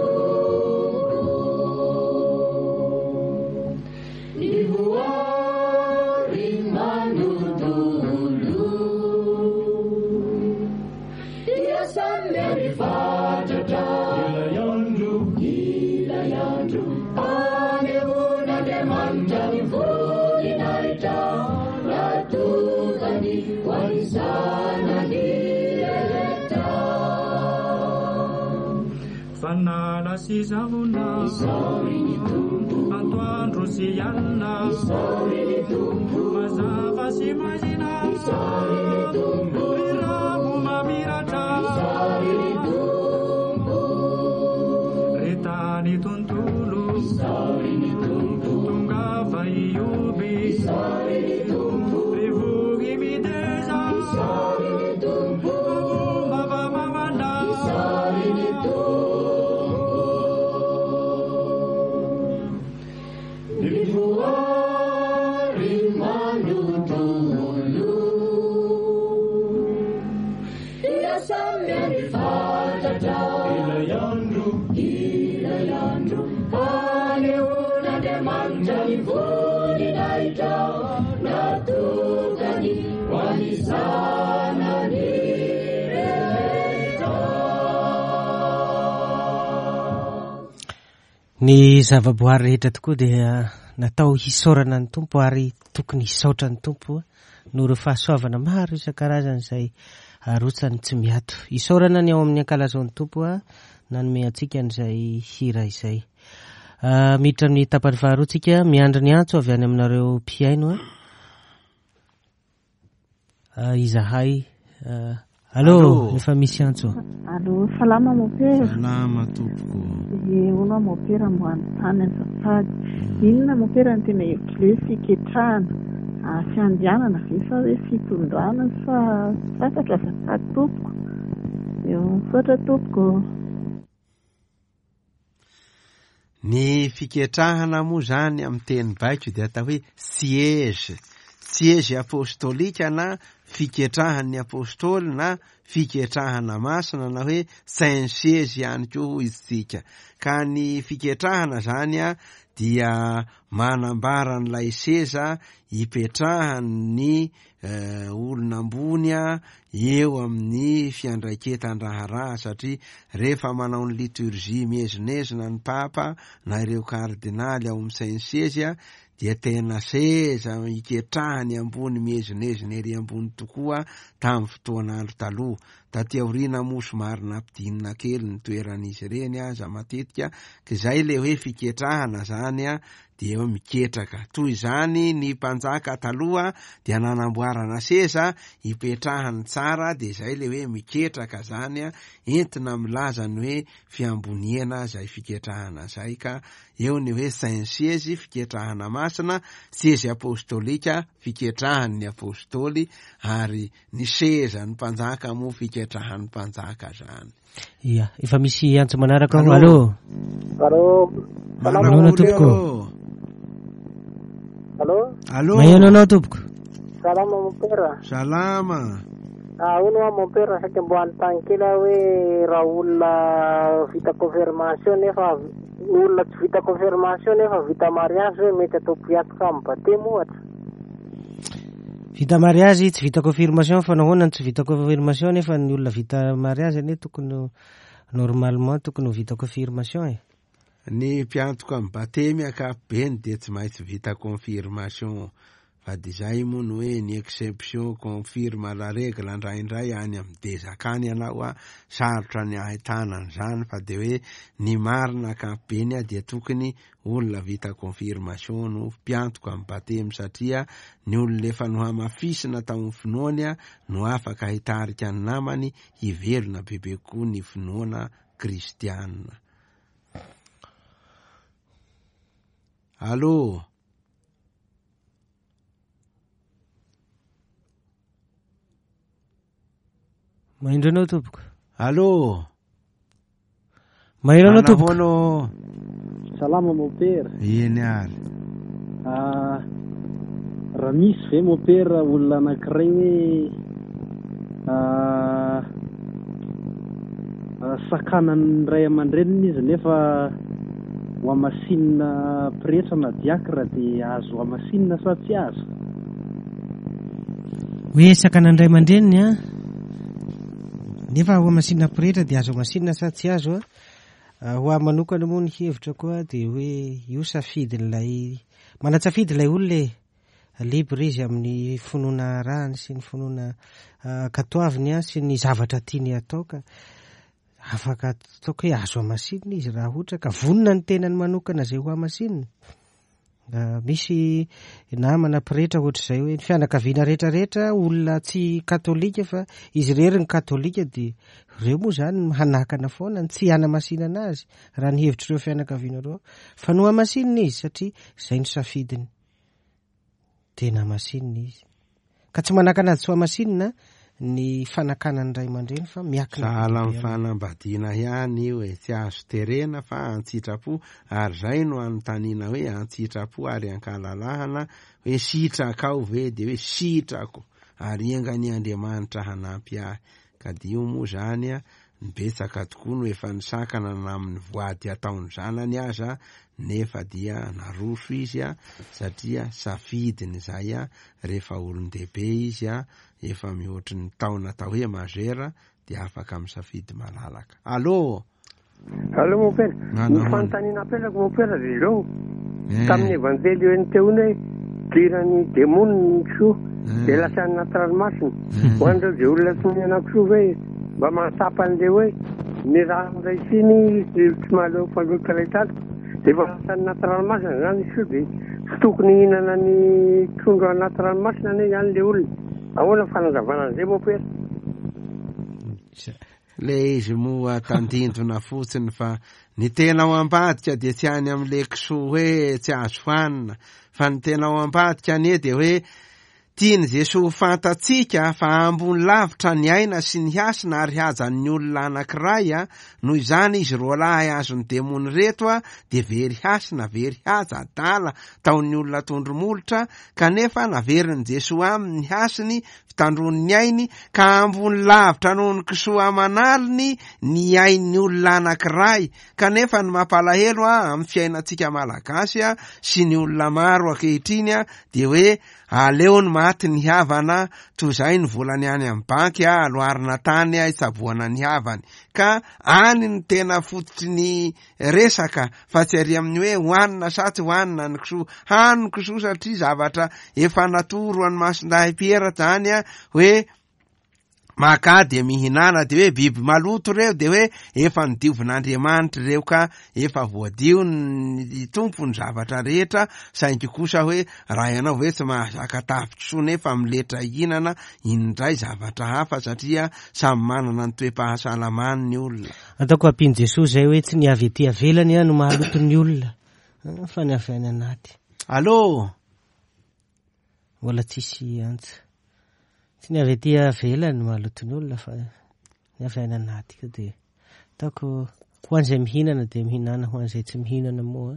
Speaker 3: Ny voary manontolo dia samy mifatratra
Speaker 4: ilay andro,
Speaker 3: ilay andro anehoan'Andriamanitra ny voninahitra natokany ho an'ny zanany rehetra.
Speaker 4: Fanala sy zavona,
Speaker 3: Isaory ny Tompo,
Speaker 4: antoandro sy alina,
Speaker 3: isaory ny Tompo,
Speaker 4: mazava sy maizina,
Speaker 3: isaory ny Tompo,
Speaker 4: ry rano mamiratra,
Speaker 3: isaory ny Tompo,
Speaker 4: ry tany tontolo,
Speaker 3: isaory ny Tompo,
Speaker 4: tongava hioby,
Speaker 3: isaory ny Tompo,
Speaker 4: ry voky mideza,
Speaker 3: isaory ny Tompo,
Speaker 4: mavamavana,
Speaker 3: isaory ny Tompo. Ny voary manontolo dia samy mifatratra
Speaker 4: ilay andro,
Speaker 3: ilay andro anehoan'Andriamanitra ny voninahitra natokany ho an'ny zanany rehetra.
Speaker 1: Ny zavaboary rehetra tokoa dia natao hisaorana ny Tompo ary tokony hisaotra ny Tompo noho ireo fahasoavana maro isan-karazany izay arotsany tsy miato. Isaorana ny ao amin'ny ankalazao ny Tompo a nanome antsika an'izay hira izay. Ah, miditra amin'ny tapany faharoa tsika, miandry ny antso avy any aminareo mpihaino a. Ah, izahay. Ah, allô,
Speaker 2: Allô.
Speaker 1: efa misy antso.
Speaker 5: Allô, salama mopera.
Speaker 2: Salama tompoko.
Speaker 5: Ie, hono aho mopera mbo anontany azafady. Inona mopera ny tena hevitry le fiketrahana? Ah, fiandianana ve sa hoe fitondrana sa tsy fantatro azafady tompoko. Eo, misaotra tompoko.
Speaker 2: Ny fiketrahana moa zany amin'ny teny baiko dia atao hoe siège. Siège apostolika na fiketrahan'ny apôstôly na fiketrahana masina na hoe saint siège ihany koa hoy isika. Ka ny fiketrahana zany a dia manambara an'ilay seza ipetrahan'ny eh, olona ambony a eo amin'ny fiandraiketan-draharaha, satria rehefa manao ny liturgie miezinezina ny papa na ireo kardinaly ao amin'ny saint siège a dia tena seza iketrahany ambony miezinezina ery ambony tokoa tamin'ny fotoan'andro taloha. Taty aoriana moa somary nampidinina kely ny toeran'izy ireny aza matetika, ka izay le hoe fiketrahana zany a dia hoe miketraka. Toy izany ny mpanjaka taloha dia nanamboarana seza ipetrahany tsara, dia izay le hoe miketraka zany a, entina milaza ny hoe fiamboniana izay fiketrahana zay. Ka eo ny hoe saint siège fiketrahana masina, siège apostolika fiketrahan'ny apôstôly, ary ny sezan'ny mpanjaka moa fiketrahan'ny mpanjaka zany.
Speaker 1: Ia, efa misy antso manaraka ao.
Speaker 2: Allô.
Speaker 1: Allô.
Speaker 6: Allô,
Speaker 1: Manao ahoana tompoko?
Speaker 6: allô,
Speaker 2: Allô.
Speaker 1: Maheno anao tompoko.
Speaker 6: salama mopera.
Speaker 2: Salama.
Speaker 6: Ah, hono aho mopera saika mbo anontany kely aho hoe raha olona vita confirmation nefa olona tsy vita confirmation nefa vita mariage hoe mety atao mpiatoka amin'ny batemy ohatra.
Speaker 1: Vita mariage tsy vita confirmation, fa nahoana no tsy vita confirmation nefa ny olona vita mariage anie tokony ho- normalement tokony ho vita confirmation e.
Speaker 2: Ny mpiantoka amin'ny batemy ankapobeny dia tsy maintsy vita confirmation, fa de zay moa no hoe ny exception confirme la règle. Indraindray any amin'ny dezaka any ianao a sarotra ny ahitana an'izany, fa de hoe ny marina ankapobeny a dia tokony olona vita confirmation no mpiantoka amin'ny batemy, satria ny olona efa nohamafisina tao amin'ny finoany a no afaka hitarika ny namany hivelona bebe kokoa ny finoana kristianina. Allô.
Speaker 1: Mahindro anao tompoko.
Speaker 2: Allô.
Speaker 1: Maheno anao tompoko.
Speaker 2: Manahoana?
Speaker 7: Salama mopera.
Speaker 2: Eny ary.
Speaker 7: Ah, raha misy ve mopera olona anankiray hoe ah, ah, sakanan'ny ray aman-dreniny izy nefa ho hamasinina pretra na diakra dia azo hamasinina sa tsy azo?
Speaker 1: Hoe sakanan'ny ray aman-dreniny a, nefa ho hamasinina pretra dia azo hamasinina sa tsy azo a? Ho ahy manokana moa ny hevitra koa dia hoe io safidin'ilay manan-tsafidy ilay olona e, libre izy amin'ny finoana arahany sy ny finoana katoaviny a sy ny zavatra tiany atao, ka afaka ataoko hoe azo hamasinina izy raha ohatra ka vonona ny tenany manokana izay ho hamasinina. Misy namana pretra ohatr'izay hoe ny fianakaviana rehetrarehetra olona tsy katolika fa izy irery ny katolika, dia ireo moa zany hanakana foana ny tsy hanamasinana azy raha ny hevitr'ireo fianakaviana ireo, fa no hamasinina izy satria izay no safidiny, tena hamasinina izy, ka tsy manakana azy tsy ho hamasinina ny fanakanan'ny ray aman-dreny fa miakina
Speaker 2: sahala amin'ny fanambadiana ihany io e, tsy azo terena fa an-tsitrapo, ary zay no anontaniana hoe an-tsitrapo ary ankalalahana hoe sitrakao ve, de hoe sitrako ary engany Andriamanitra hanampy ahy. Ka dia io moa zany a, ny betsaka tokoa no efa nisakana na amin'ny voady ataon'ny zanany aza, nefa dia naroso izy a, satria safidiny zay a, rehefa olon-dehibe izy a, efa mihoatry ny taona atao hoe majeur dia afaka misafidy malalaka. Allô.
Speaker 6: Allô mopera.
Speaker 2: Manao
Speaker 6: Ny fanontaniana apetrako mopera dia izao. Tamin'ny evanjely eo teo iny hoe dirany demony ny kisoa dia lasa any anaty ranomasina. Ho an'ireo izay olona tsy mihinana kisoa ve mba mahatsapa an'ilay hoe ny rano raisiny tsy mahaleo faloto iray tato dia efa lasa any anaty ranomasina zany kisoa, dia tsy tokony hihinana ny trondro anaty ranomasina anie zany ilay olona. Ahoana fanazavana an'izay mopera?
Speaker 2: Le izy moa tandindona fotsiny fa ny tena ao ambadika dia tsy any amin'ilay kisoa hoe tsy azo hanina, fa ny tena ao ambadika anie dia hoe tiany Jesoa ho fantatsika fa ambony lavitra ny aina sy ny hasina ary hajan'ny olona anankiray a, noho izany izy roalahy azon'ny demony reto a dia very hasina, very haja, adala taon'ny olona tondro-molotra, kanefa naverin'i Jesoa aminy ny hasiny, fitandroany ny ainy, ka ambony lavitra noho ny kisoa aman'aliny ny ain'ny olona anankiray. Kanefa ny mampalahelo a amin'ny fiainantsika malagasy a sy ny olona maro ankehitriny a dia hoe aleo ny maty ny havana toy izay ny volany any amin'ny banky a aloarina tany a hitsaboana ny havany, ka any ny tena fototry ny resaka fa tsy ary amin'ny hoe hohanina sa tsy hohanina ny kisoa. Hano kisoa satria zavatra efa natoro an'ny Masindahy Piera zany a hoe maka dia mihinana, dia hoe biby maloto ireo, dia hoe efa nodiovin'Andriamanitra ireo ka efa voadio ny Tompo ny zavatra rehetra, saingy kosa hoe raha ianao ve tsy mahazaka tafi-kisoa nefa miletra hihinana, indray zavatra hafa satria samy manana ny toe-pahasalamany ny olona.
Speaker 1: Ataoko ampian'i Jesoa izay hoe tsy ny avy ety avelany no mahaloto ny olona fa ny avy any anaty.
Speaker 2: Allô.
Speaker 1: Mbola tsisy antsa. Tsy ny avy ety avelany no mahaloto ny olona fa ny avy any anaty ka dia ataoko ho an'izay mihinana dia mihinana, ho an'izay tsy mihinana moa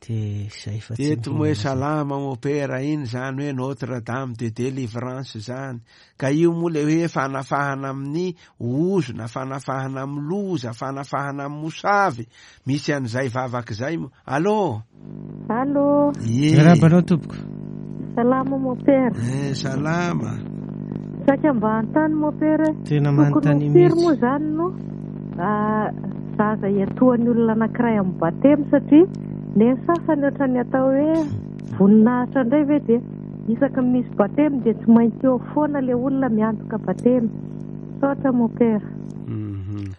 Speaker 1: dia izay fa tsy
Speaker 2: Teto moa hoe
Speaker 1: mihinana.
Speaker 2: salama mopera iny zany hoe Notre Dame de Délivrance zany, ka io moa le hoe fanafahana amin'ny ozona, fanafahana amin'ny loza, fanafahana amin'ny mosavy, misy an'izay vavaka izay moa. Allô.
Speaker 8: Allô.
Speaker 2: Ie.
Speaker 1: Miarahaba anao tompoko.
Speaker 8: Salama mopera.
Speaker 2: Eh, salama.
Speaker 8: Saika mba hanontany mopera.
Speaker 1: Tena
Speaker 8: Tokony
Speaker 1: manontany
Speaker 8: ho firy
Speaker 1: mihitsy.
Speaker 8: moa zany no ah, zaza iatoan'ny olona anankiray amin'ny batemy, satria ny sasany ohatran'ny atao hoe voninahitra indray ve dia isaky ny misy batemy dia tsy maintsy eo foana ilay olona miantoka batemy. Misaotra mopera.
Speaker 2: Mhm.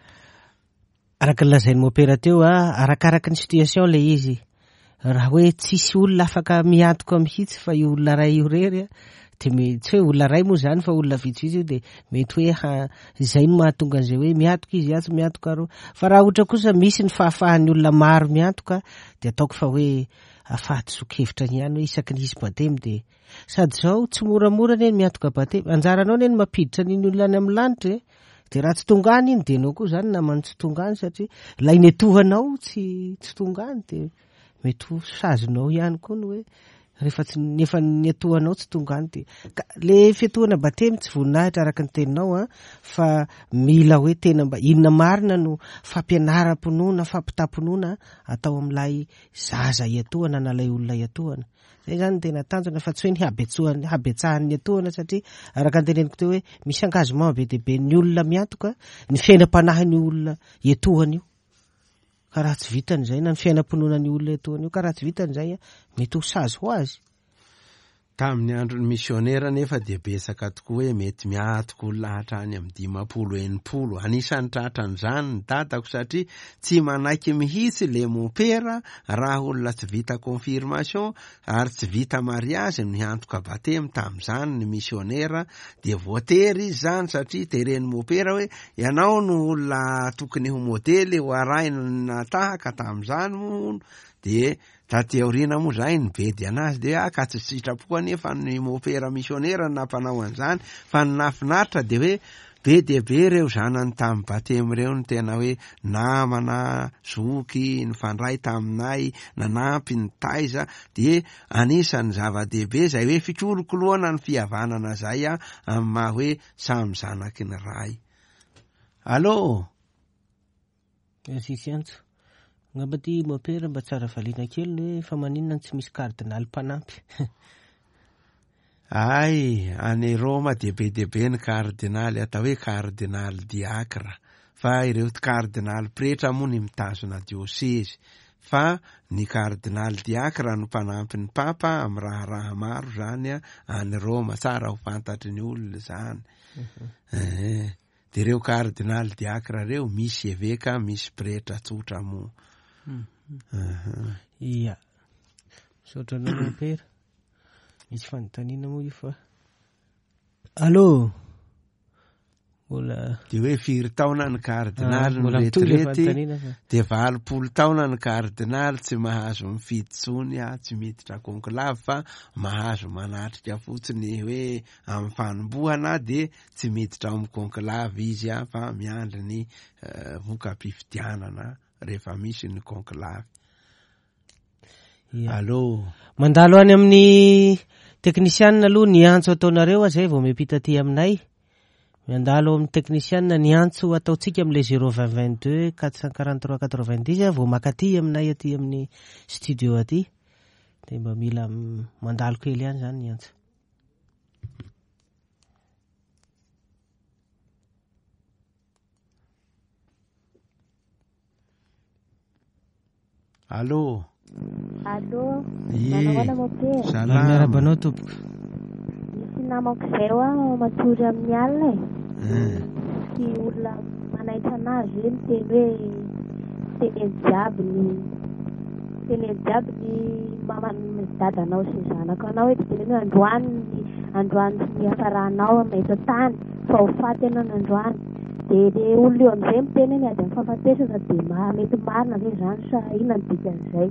Speaker 1: Araka ny lazain'ny mopera teo a, arakaraka ny situation ilay izy. Raha hoe tsisy olona afaka miantoka mihitsy fa io olona iray io irery a, de me- tsy hoe olona ray moa zany fa olona vitsivitsy io de mety hoe ha- izay no mahatonga an'izay hoe miantoka izy atsy miantoka aroa. Fa raha ohatra kosa misy ny fahafahan'ny olona maro miantoka de ataoko fa hoe fahadisoan-kevitra ihany hoe isaky ny hisy batemy de sady zao tsy moramora anie ny miantoka batemy, anjaranao anie ny mampiditra an'iny olona any amin'ny lanitra e. De raha tsy tonga any iny de ianao koa zany namany tsy tonga any satria ilay netohanao tsy tsy tonga any de mety ho sazinao ihany koa ny hoe rehefa tsy nefa netohanao tsy tonga any de ka le fiantohana batemy tsy voninahitra araka ny teninao a, fa mila hoe tena mba inona marina no fampianaram-pinoana, fampitam-pinoana atao amin'ilay zaza iatohana na ilay olona iatohana. Zay zany tena tanjona fa tsy hoe ny habetsohany, habetsahan'ny atohana satria araka ny teneniko teo hoe misy engagement be dia be ny olona miantoka ny fiainam-panahin'ny olona iatohana io. Ka raha tsy vitany izay na ny fiainam-pinoana ny olona iatohana io, ka raha tsy vitany izay a, mety ho sazy ho azy.
Speaker 2: Tamin'ny andron'ny misionera nefa dia betsaka tokoa hoe mety miatoka olona hatrany amin'ny dimampolo enimpolo. Anisan'ny tratran'izany ny dadako satria tsy manaiky mihitsy le mompera raha olona tsy vita confirmation ary tsy vita mariazy no hiantoka batemy tamin'izany ny misionera, dia voatery izy zany satria teren'ny mompera hoe ianao no olona tokony ho modely ho arahina tahaka tamin'izany moa. De taty aoriana moa zay ny bedy anazy de ah, ka tsy sitrapo anefa ny mompera misionera no nampanao an'izany, fa ny nahafinaritra de hoe be dia be ireo zanany tamin'ny batemy ireo no tena hoe namana, zoky, nifandray taminay, nanampy, nitaiza, de anisan'ny zava-dehibe zay hoe fikolokoloana ny fihavanana zay a, amin'ny maha hoe samy zanaky ny ray. Allô?
Speaker 1: Merci Antso. Angamba ty mompera mba tsara valiana kely ny hoe fa maninona tsy misy kardinaly mpanampy.
Speaker 2: Ay, any Roma dia be dia be ny kardinaly atao hoe kardinaly diakra, fa ireo kardinaly pretra moa ny mitazona diosezy, fa ny kardinaly diakra no mpanampy ny papa amin'ny raharaha maro zany a, any Roma, tsara ho fantatry ny olona zany. Eh, de ireo kardinaly diakra ireo misy eveka, misy pretra tsotra moa.
Speaker 1: Ia. Misaotra anao mompera. Misy fanontaniana moa io fa. Allô? Mbola
Speaker 2: De hoe firy taona ny kardinaly
Speaker 1: Ah, mbola mitohy le
Speaker 2: retirety,
Speaker 1: fanontaniana fa.
Speaker 2: de valopolo taona ny kardinaly tsy mahazo mifidy tsony a, tsy miditra conclave fa mahazo manatrika fotsiny hoe amin'ny fanombohana de tsy miditra ao amin'ny conclave izy a, fa miandry ny eh, voka-pifidianana rehefa misy ny conclave.
Speaker 1: Ia.
Speaker 2: Allô?
Speaker 1: Mandalo any amin'ny teknisianina aloha ny antso ataonareo a, zay vao miampita aty aminay. Mandalo amin'ny teknisianina ny antso ataontsika amin'ilay zéro vingt vingt deux quatre cent quarante trois quatre vingt dix a, vao maka aty aminay aty amin'ny studio aty. De mba mila mandalo kely ihany zany ny antso.
Speaker 2: Allô?
Speaker 9: Allô?
Speaker 2: Ie.
Speaker 9: Manao ahoana mompera?
Speaker 2: Salama.
Speaker 1: Miarahaba anao tompoko.
Speaker 9: Misy namako izay hoa matory amin'ny alina e.
Speaker 2: Eh.
Speaker 9: Sy olona manaitra anazy hoe miteny hoe teneno jiaby ny teneno jiaby ny mama ny dadanao sy ny zanako anao hoe teneno hoe androany ny androany sy ny hafaranao amin'ny eto an-tany fa ho faty ianao ny androany. De le olona eo amin'izay miteny hoe miady amin'ny fahafatesana de ma-, mety marina ve izany sa inona ny dikan'izay?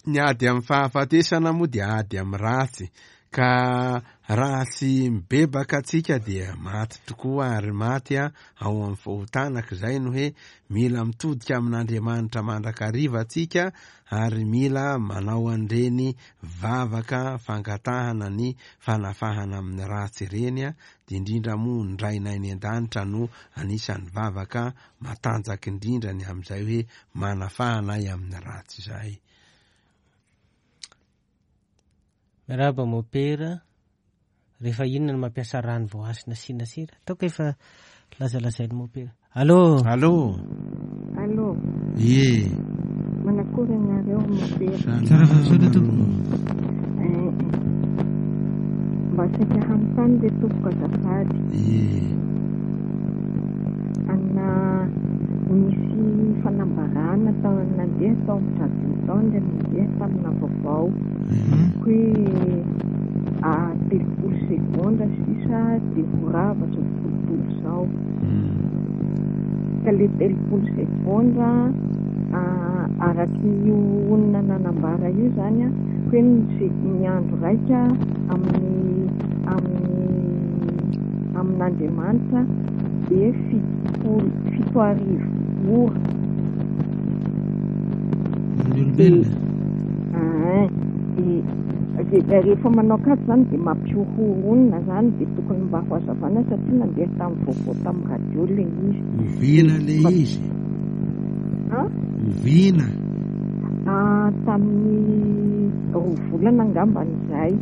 Speaker 2: Ny ady amin'ny fahafatesana moa dia ady amin'ny ratsy, ka raha tsy mibebaka antsika dia maty tokoa ary maty a, ao amin'ny fahotana, ka izay no hoe mila mitodika amin'Andriamanitra mandrakariva antsika ary mila manao an'ireny vavaka fangatahana ny fanafahana amin'ny ratsy ireny a, dia indrindra moa ny Rainay any an-danitra no anisan'ny vavaka matanjaka indrindra ny amin'izay hoe manafahana ahy amin'ny ratsy izay.
Speaker 1: Miarahaba mompera, rehefa inona no mampiasa rano voahasina asiana sira? Ataoko efa lazalazain'ny mompera. Allô?
Speaker 2: Allô?
Speaker 5: Allô?
Speaker 2: Ie.
Speaker 5: Manakory anareo mompera?
Speaker 1: Tsara fahasoana tompoko.
Speaker 5: Eh, mba saika hanontany le tompoko azafady.
Speaker 2: Ie.
Speaker 5: Ana misy fanambarana tao nandeha tao amin'ny radio tao dia nandeha tamina vaovao hoe ah, telopolo segondra sisa dia ho rava izao tontolo izao. Ka le telopolo segondra ah, araky io olona nanambara io zany a, hoe ny se- ny andro raika amin'ny amin'ny amin'Andriamanitra dia fitopolo fito arivo ora.
Speaker 1: Ny olombelona.
Speaker 5: Ah, dia dia rehefa manao kajy zany dia mampihorohoro olona zany, dia tokony mba ho hazavana satria nandeha tamin'ny vaovao tamin'ny radio le izy.
Speaker 2: Oviana le izy?
Speaker 5: Ah?
Speaker 2: Oviana?
Speaker 5: Ah, tamin'ny roa volana angambany izay.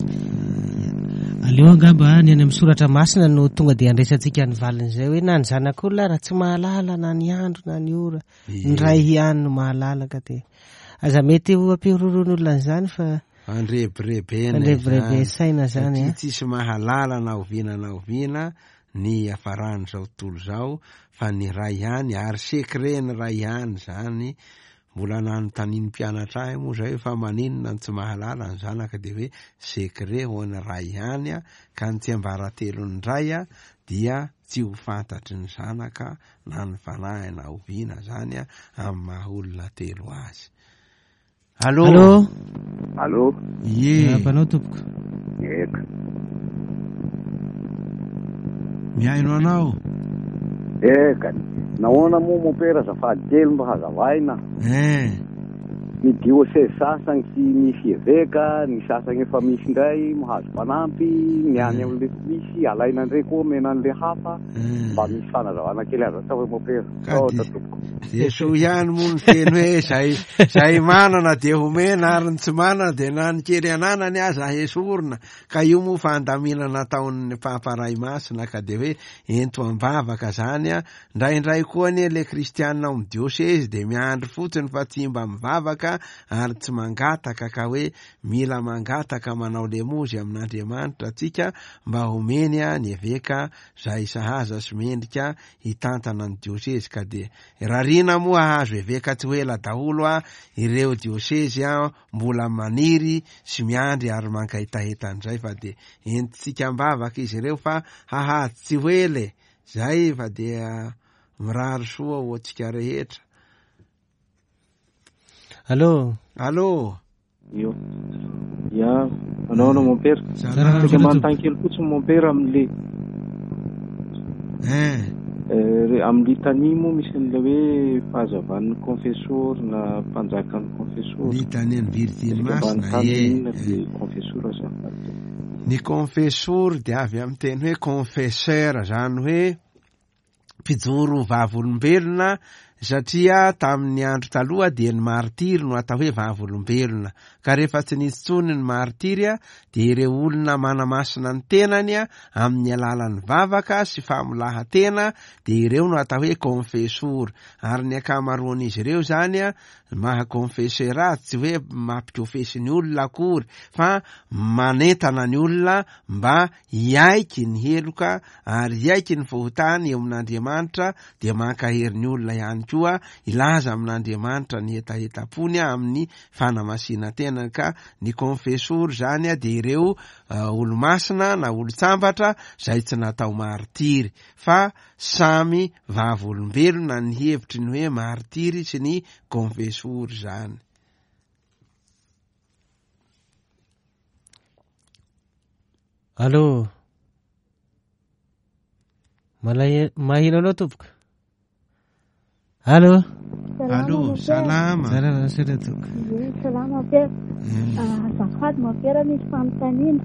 Speaker 1: Aleo angamba ny any amin'ny soratra masina no tonga dia andraisantsika ny valin'izay hoe na ny zanak'olona raha tsy mahalala na ny andro na ny ora, ny ray ihany no mahalala, ka dia aza mety ho ampihorohoroan'olona an'izany fa
Speaker 2: Andrebirebena
Speaker 1: Andrebirebe saina zany,
Speaker 2: satria
Speaker 1: eh.
Speaker 2: tsisy mahalala na oviana na oviana ny hiafaran'izao tontolo izao fa ny ray ihany, ary secret ny ray ihany zany. Mbola nanontanian'ny mpianatra ahy moa zay fa maninona ny tsy mahalala ny zanaka, dia hoe secret ho an'ny ray ihany a, ka ny tsiambaratelon'ny ray a dia tsy ho fantatry ny zanaka na ny fanahy na oviana zany a, amin'ny maha olona telo azy. Allô?
Speaker 1: Allô?
Speaker 10: Allô?
Speaker 2: Ie.
Speaker 1: Miarahaba anao tompoko.
Speaker 10: Eka.
Speaker 2: Mihaino anao.
Speaker 10: Eka. Nahoana moa mompera azafady kely mba hazavaina?
Speaker 2: Eh.
Speaker 10: Ny diocèse sasany tsy misy eveka, ny sasany efa misy indray mahazo mpanampy, ny any amin'le tsy misy alaina indray koa omena an'le hafa. Mba misy fanazavana kely azo atao hoe mompera. Saotra tompoko.
Speaker 2: Dia soa ihany moa ny teny hoe zay, zay manana dia homena, ary ny tsy manana dia na ny kely ananany aza hesorina. Ka io moa fandaminana nataon'ny Papa Ray Masina, ka dia hoe ento am-bavaka zany a. Indraindray koa anie le kristianina ao amin'ny diocèse dia miandry fotsiny fa tsy mba mivavaka ary tsy mangataka, ka hoe mila mangataka manao lemozy amin'Andriamanitra tsika mba homeny a ny eveka zay sahaza sy mendrika hitantana ny diocèse. Ka dia rarina moa hahazo eveka tsy ho ela daholo a ireo diocèse a mbola maniry sy miandry ary mankahitahita an'izay, fa dia entitsika am-bavaka izy ireo fa hahazo tsy ho ela e. Zay fa dia mirary soa ho antsika rehetra.
Speaker 1: Allô?
Speaker 2: Allô?
Speaker 7: Io. Ya, anao anao mompera.
Speaker 2: Salama.
Speaker 7: Saika manontany kely fotsiny mompera amin'le
Speaker 2: Eh.
Speaker 7: Eh, amin'ny litanie moa misy an'ilay hoe fahazavan'ny confessor na mpanjakan'ny confessor.
Speaker 2: Litanie ny Virjiny
Speaker 7: Saika
Speaker 2: Masina,
Speaker 7: manontany
Speaker 2: ie.
Speaker 7: inona le confessor azafady.
Speaker 2: Ny confessor dia avy amin'ny teny hoe confesseur, zany hoe mpijoro vavolombelona, satria tamin'ny andro taloha dia ny martiry no atao hoe vavolombelona. Ka rehefa tsy nisy intsony ny martiry a, dia ireo olona manamasina ny tenany a, amin'ny alalan'ny vavaka sy famolahan-tena, dia ireo no atao hoe confessor. Ary ny ankamaroan'izy ireo zany a, maha confesseur azy tsy hoe mampikofesy ny olona akory, fa manentana ny olona mba hiaiky ny heloka ary hiaiky ny fahotany eo amin'Andriamanitra, dia mankahery ny olona ihany koa hilaza amin'Andriamanitra ny hetahetam-pony amin'ny fanamasina tena. Ka ny confessor zany a dia ireo, eh, olo-masina na olo-tsambatra zay tsy natao martiry, fa samy vavolombelona ny hevitry ny hoe martiry sy ny confessor zany.
Speaker 1: Allô? Malay-, maheno anao tompoko? Allô?
Speaker 2: Allô, salama.
Speaker 1: Salama, salama tompoko.
Speaker 11: Ie, salama mompera. Ah, azafady mompera, misy fanontaniana.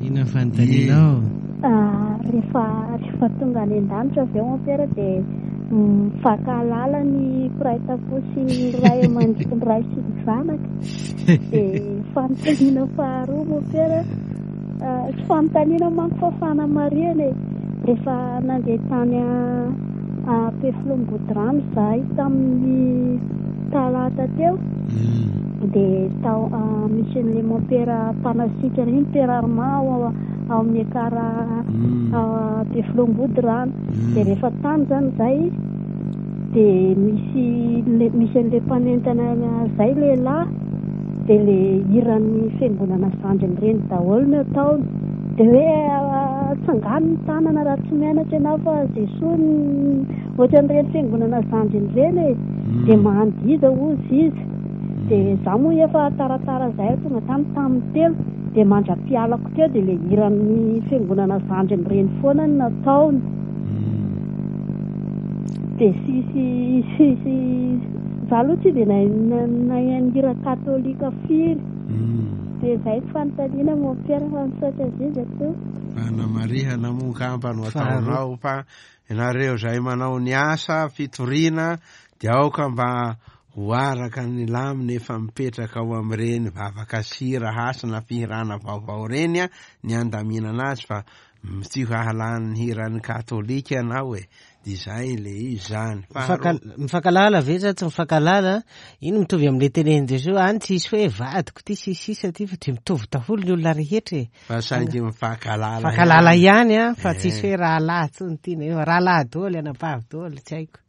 Speaker 1: Inona ny fanontanianao?
Speaker 11: Ah, rehefa, rehefa tonga any an-danitra avy eo mompera dia mifankahalala ny mpiray tampo sy ny ray aman-dreny, ny ray sy ny zanaka. Dia fanontaniana faharoa mompera, ah, tsy fanontaniana manko fa fanamarihana e. Rehefa nandeha tany a-, Ampefiloha-Ambodirano izahay tamin'ny talata teo, dia tao, ah, misy an'ilay mompera mpanasitrana iny, Père Armand, ao, ao amin'ny Ekara, ah, Ampefiloha-Ambodirano. Dia rehefa tany izany izahay, Dia misy le misy an'ilay mpanentana izay lehilahy, dia ilay hiran'ny fiangonana zandriny ireny daholo no ataony. Dia hoe tsangano ny tanana raha tsy mianatra ianao fa Jesoa ohatran'ireny fiangonana zandriny ireny e. Dia mandiza hozy izy. Dia izaho moa efa taratara izay tonga tany tamin'ny telo, dia mandra-pialako teo dia ilay hiran'ny fiangonana zandriny ireny foana no nataony. Dia tsisy tsisy izaho aloha tsy dia nahay hira katolika firy. Dia izay ny fanontaniana mompera fa misaotra indrindra tompoko.
Speaker 2: Fanamarihana moa angamba no ataonao fa ianareo izay manao ny asa fitoriana dia aoka mba ho araka ny lamina efa mipetraka ao amin'ireny vavaka sira hasina fihirana vaovao ireny a ny andaminana azy fa tsy hahalany hiran'ny katolika ianao e. Dia izay le izy zany.
Speaker 1: Mifankalala ve sa tsy mifankalala? Iny mitovy amin'ilay tenenin'i Jesoa any, tsisy hoe vadiko ty sy sisa ty fa dia mitovy daholo ny olona rehetra e.
Speaker 2: Fa saingy mifankalala
Speaker 1: mifankalala ihany a, fa tsisy hoe rahalahy tsony ty na rahalahy daholo, anabavy daholo, tsy haiko.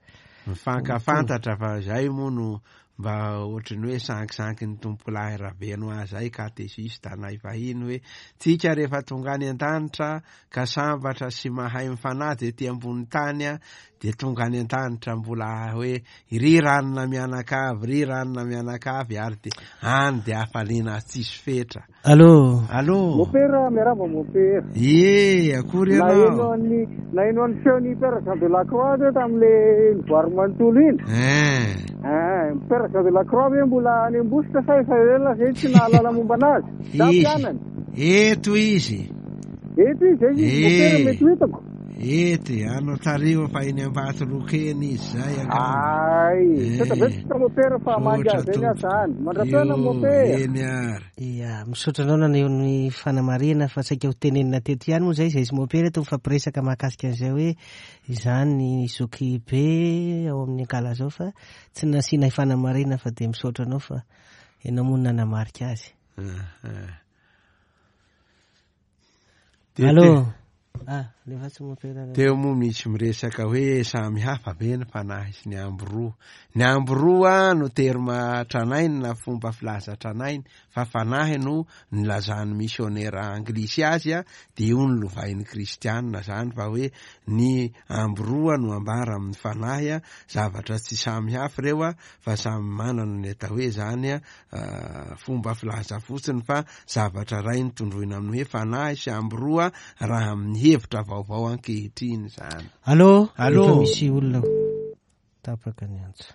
Speaker 2: Mifankafantatra fa izay moa no mba ohatran'ny hoe sankisanky ny tompolahy Rabeno azy zay katesista anay fahiny hoe tsika rehefa tonga any an-danitra ka sambatra sy mahay mifanaja ety ambony tany a, dia tonga any an-danitra mbola hoe ry ranona mianakavy, ry ranona mianakavy, ary dia any dia hafaliana tsisy fetra.
Speaker 1: Allô.
Speaker 2: Allô.
Speaker 12: Mopera, miarahaba mopera.
Speaker 2: Ie, akory ianao.
Speaker 12: Naheno an'ny naheno an'ny feon'ny Père Jean de la Croix teo tamin'ilay nivoary manontolo iny.
Speaker 2: Eh.
Speaker 12: Eh, Père Jean de la Croix ve mbola any Ambositra sa efa ela zay tsy nahalala momba anazy? Za mpianany.
Speaker 2: Eto izy.
Speaker 12: Eto izy, izy mopera mety ho hitako.
Speaker 2: Eto, anao tariho fa eny Ambatolokeny izy zay angamba.
Speaker 12: Ay, misaotra betsaka mopera fa mangy azy eny aho zany. Mandra-pihaona mopera.
Speaker 2: Eny ary.
Speaker 1: Ia, misaotra anao naneho ny fanamarihana fa saika ho tenenina teto ihany moa zay, izay izy mopera eto mifampiresaka mahakasika an'izay hoe izany ny zoky be ao amin'ny Ankalazao fa tsy nasiana fanamarihana fa dia misaotra anao fa ianao moa nanamarika azy. Allô. Ah, lefa tsy mopera.
Speaker 2: Teo moa misy miresaka hoe samy hafa be ny fanahy sy ny ambiroa. Ny ambiroa no terma tranainy na fomba filaza tranainy, fa fanahy no nilazan'ny misionera anglisy azy a, dia io no lovain'ny kristianina zany fa hoe ny ambiroa no ambara amin'ny fanahy a, zavatra tsy samy hafa ireo a, fa samy manana ny atao hoe zany a, fomba filaza fotsiny fa zavatra ray no tondroina amin'ny hoe fanahy sy ambiroa raha amin'ny hevitra vaovao ankehitriny zany.
Speaker 1: Allô.
Speaker 2: Allô.
Speaker 1: Efa misy olona tapaka ny antso.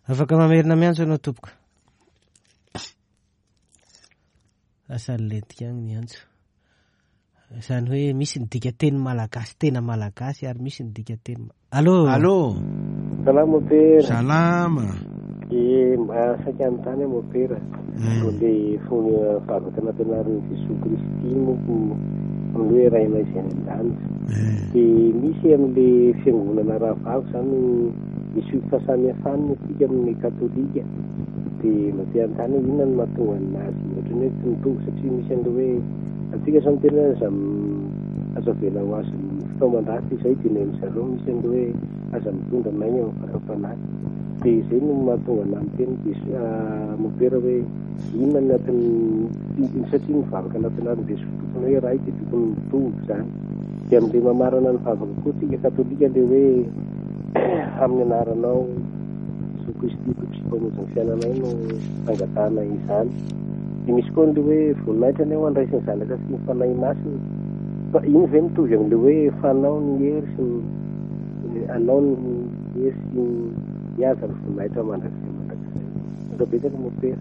Speaker 1: Afaka mamerina miantso ianao tompoko. Lasa nilentika agny ny antso. Izany hoe misy ny dikateny malagasy tena malagasy ary misy ny dikateny. Allô.
Speaker 2: Allô.
Speaker 6: Salama mopera.
Speaker 2: Salama.
Speaker 6: E mba saika anontany aho mopera. Le fony vavaka nampianarin'i Jesoa Kristy moa amin'ny hoe Rainay izay any an-danitra. Dia misy amin'ilay fiangonana rahavavy zany misy fahasamihafana isika amin'ny katolika. Dia mba te hanontany hoe inona no mahatonga anazy ohatran'ny hoe tsy mitovy satria misy an'ilay hoe antsika zao miteny hoe aza aza avela ho azon'ny fitaoman-dratsy izay, dia ny amin-dry zareo misy an'ilay hoe aza mitondra anay amin'ny fakam-panahy. Dia izay no mahatonga anahy miteny Jesoa mopera hoe inona ny antony satria mivavaka nampianarin'i Jesoa tokony hoe Ray dia tokony mitovy zany. Dia amin'ilay mamarana ny vavaka koa tsika katolika ilay hoe amin'ny anaranao Jesoa Kristy Tompo sy Mpamonjy ny fiainanay no angatahana izany. Dia misy koa an'ilay hoe voninahitra anie ho an'ny Ray sy ny Zanaka sy ny Fanahy Masina. Fa iny ve mitovy amin'ilay hoe fanao ny hery sy ny anao ny hery sy ny haja ny voninahitra mandrakizay mandrakizay. Misaotra betsaka mopera.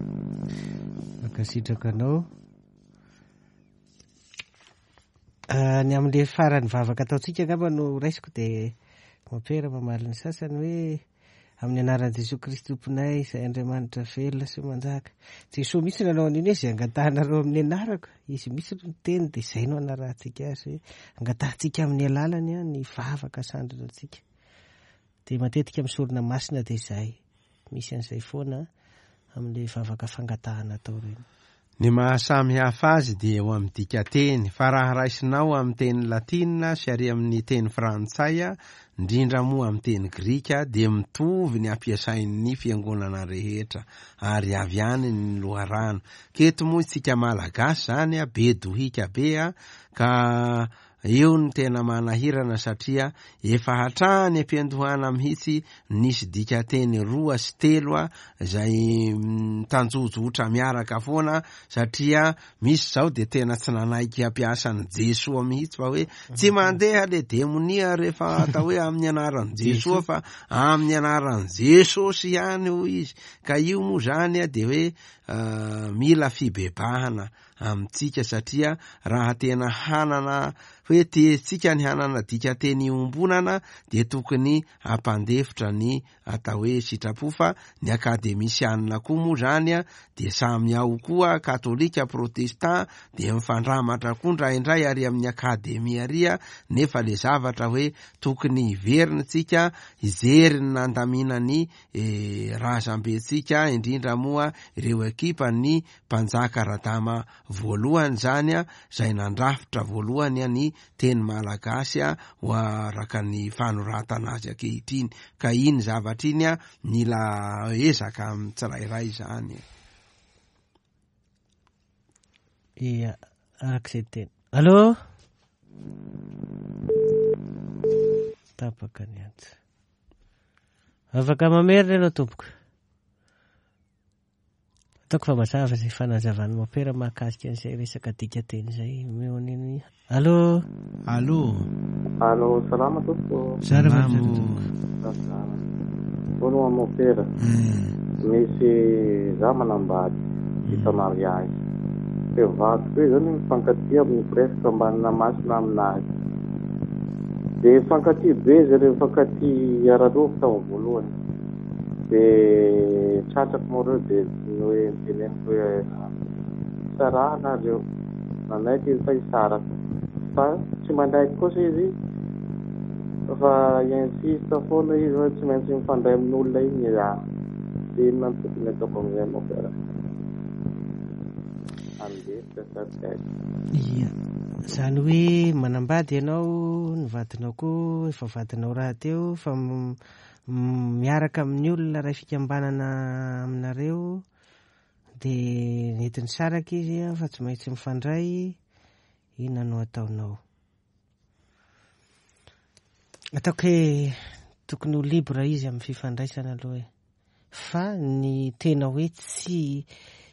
Speaker 1: Mankasitraka anao. Ny amin'ilay farany vavaka ataontsika angamba no raisiko dia mopera mamaly ny sasany hoe amin'ny anaran'i Jesoa Kristy Tomponay izay Andriamanitra velona sy manjaka. Jesoa mihitsy nanao an'iny hoe izay angatahanareo amin'ny anarako, izy mihitsy no niteny dia izay no anarahantsika azy hoe angatahantsika amin'ny alalany ny vavaka sandrina antsika. Dia matetika amin'ny sorona masina dia izay, misy an'izay foana amin'ilay vavaka fangatahana atao ireny.
Speaker 2: Ny mahasamy hafa azy dia eo amin'ny dikateny, fa raha raisinao amin'ny teny latina sy ary amin'ny teny frantsay, indrindra moa amin'ny teny grika, dia mitovy ny ampiasain'ny fiangonana rehetra, ary avy any ny loharano. Keto moa isika Malagasy zany a, be dohika be a, ka eo no tena manahirana satria efa hatrany am-piandohana mihitsy nisy dikateny roa sy telo a izay mitanjozotra miaraka foana, satria misy zao de tena tsy nanaiky hampiasa an'i Jesoa mihitsy fa hoe tsy mandeha le demonia rehefa atao hoe amin'ny anaran'i Jesoa fa amin'ny anaran'i Jesosy ihany hoy izy. Ka io moa zany a de hoe mila fibebahana amintsika, satria raha tena hanana hoe tiantsika ny hanana dikateny iombonana dia tokony hampandefitra ny atao hoe sitrapo, fa ny akademisianina koa moa zany a dia samy ao koa, katolika, protestant, dia mifandramatra koa indraindray ary amin'ny akademia ary a, nefa le zavatra hoe tokony hiverina tsika hijery ny nandamina ny razambentsika, indrindra moa ireo ekipa ny mpanjaka Radama voalohany zany a, izay nandrafitra voalohany a ny teny malagasy a ho araka ny fanoratana azy ankehitriny. Ka iny zavatra iny a mila ezaka amin'ny tsirairay zany.
Speaker 1: Ia, araka izay teny. Allô? Tapaka ny antso. Afaka mamerina ianao tompoko. Ataoko fa mazava izay fanazavan'ny mopera mahakasika an'izay resaka dikateny izay. Omeo an'iny. Allô?
Speaker 2: Allô?
Speaker 13: Allô, salama tompoko.
Speaker 1: Salama tompoko.
Speaker 13: Salama. Voalohany mopera. Misy za manambady vita mariage. Dia vadiko io zany mifankatia amin'ny presque ambanina masina aminazy. Dia mifankatia be zareo, mifankatia ara-nofo tamin'ny voalohany. Dia tratrako moa ireo dia ny hoe niteneniko hoe sarahana nareo. Nanaiky izy fa hisaraka. Fa tsy manaiky kosa izy fa insiste foana izy hoe tsy maintsy mifandray amin'olona iny za. Dia inona no tokony ataoko amin'izay mopera? Andefitra sa tsy haiko.
Speaker 1: Ia, zany hoe manambady ianao, ny vadinao koa efa vadinao rahateo, fa miaraka amin'ny olona iray fikambanana aminareo, dia nety nisaraka izy fa tsy maintsy mifandray, inona no ataonao? Ataoko hoe tokony ho libre izy amin'ny fifandraisana aloha e. Fa ny tena hoe tsy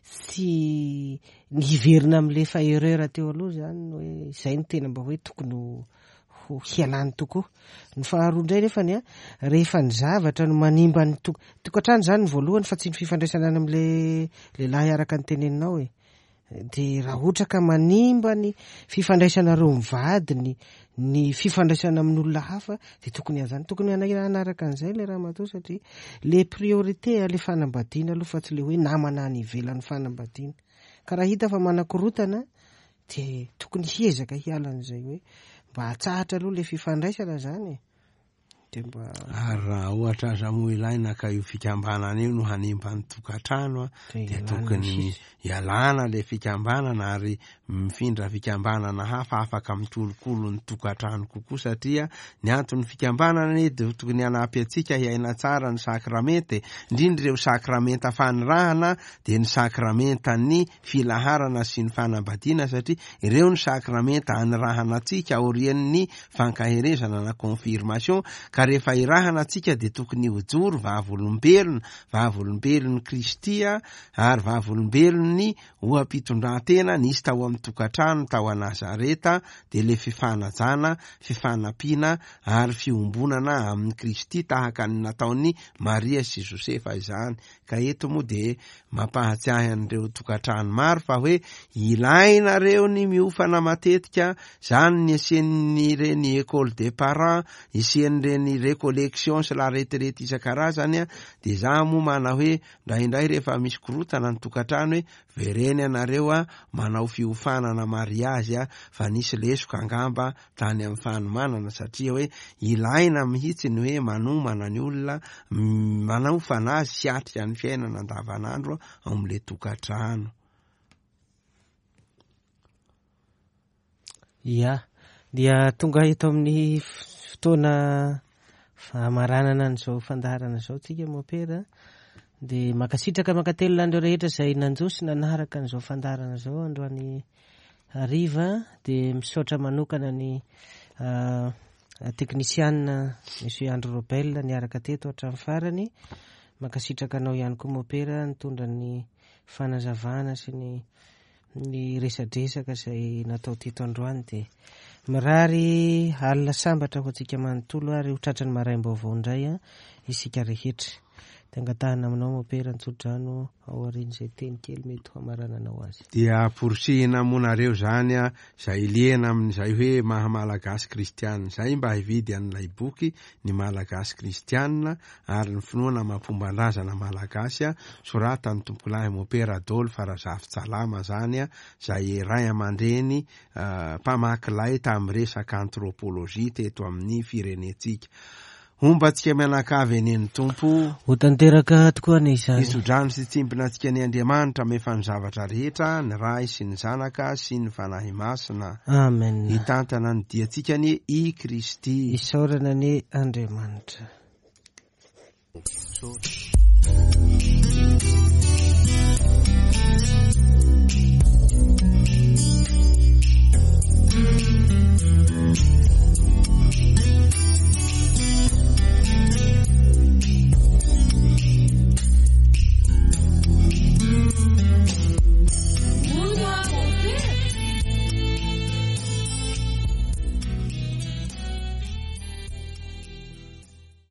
Speaker 1: tsy ny hiverina amin'ilay efa erreur teo aloha zany hoe izay no tena mba hoe tokony ho hialany tokoa. Ny faharoa indray nefany a, rehefa ny zavatra no manimba ny to-, tokantrano zany ny voalohany fa tsy ny fifandraisana any amin'ilay lehilahy araka ny teneninao e. Dia raha ohatra ka manimba ny fifandraisanareo mivady, ny, ny fifandraisana amin'olona hafa, dia tokony azany, tokony hanaraka an'izay ilay ramatoa, satria le priorité le fanambadiana aloha fa tsy le hoe namana any ivelan'ny fanambadiana. Ka raha hita fa manakorotana dia tokony hiezaka hiala an'izay hoe mba hatsahatra aloha le fifandraisana zany e. Dia mba
Speaker 2: Ary raha ohatra aza moa ilaina ka io fikambanana io no hanimba ny tokantrano a,
Speaker 1: Dia
Speaker 2: dia
Speaker 1: ialana
Speaker 2: tokony
Speaker 1: sisa.
Speaker 2: ialana le fikambanana ary mifindra fikambanana hafa afaka mikolokolo ny tokantrano kokoa, satria ny anton'ny fikambanana anie dia tokony hanampy antsika hiaina tsara ny sakramenta e. Indrindra ireo sakramenta fanirahana dia ny sakramentan'ny filaharana sy ny fanambadiana, satria ireo ny sakramenta anirahana antsika aorian'ny fankaherezana na confirmation. Ka rehefa irahana antsika dia tokony hijoro vavolombelona, vavolombelon'i Kristy a, ary vavolombelon'ny oha-pitondrantena nisy tao amin'ny tokantrano tao Nazareta, dia le fifanajana, fifanampiana ary fiombonana amin'i Kristy tahaka ny nataon'i Maria sy Josefa izany. Ka eto moa dia mampahatsiahy an'ireo tokantrano maro fa hoe ilainareo ny miofana matetika, zany ny asian'ireny école des parents, isian'ireny récollection sy la retraite isan-karazany a. Dia za moa mana hoe indraindray rehefa misy korotana ny tokantrano hoe vereny ianareo a manao fiofanana mariazy a, fa nisy lesoka angamba tany amin'ny fanomanana, satria hoe ilaina mihitsy ny hoe manomana ny olona, manao fanazy sy atrika ny fiainana andavanandro ao amin'ilay tokantrano.
Speaker 1: Ia, dia tonga eto amin'ny fotoana famaranana an'izao fandaharana izao tsika mopera. Dia mankasitraka mankatelina an'ireo rehetra izay nanjo sy nanaraka an'izao fandaharana izao androany hariva. Dia misaotra manokana ny uh, teknisianina Monsieur Andry Robel niaraka teto hatramin'ny farany. Mankasitraka anao ihany koa mopera nitondra ny fanazavana sy ny ny resadresaka izay natao teto androany. Dia mirary alina sambatra ho antsika manontolo ary ho tratran'ny maraim-baovao indray a isika rehetra. Dia angatahana aminao mopera ny tsodrano ao aorian'izay teny kely mety ho hamarananao azy.
Speaker 2: Dia porisihina monareo zany a zay liana amin'izay hoe maha malagasy kristianina zay mba hividy an'ilay boky ny Malagasy kristianina ary ny finoana amam-pomban-drazana malagasy a soratan'ny tompokolahy mopera Adolphe Razafintsalama zany a zay ray aman-dreny uh, mpamaky lay tamin'ny resaka anthropologie teto amin'ny firenentsika. Homba antsika mianakavy eny ny Tompo.
Speaker 1: Ho tanteraka tokoa anie izany.
Speaker 2: Hitsodrano sy tsimbina antsika ny Andriamanitra mefa ny zavatra rehetra, ny Ray sy ny Zanaka sy ny Fanahy Masina.
Speaker 1: Amen.
Speaker 2: Hitantana ny diantsika anie i Kristy.
Speaker 1: Isaorana anie Andriamanitra.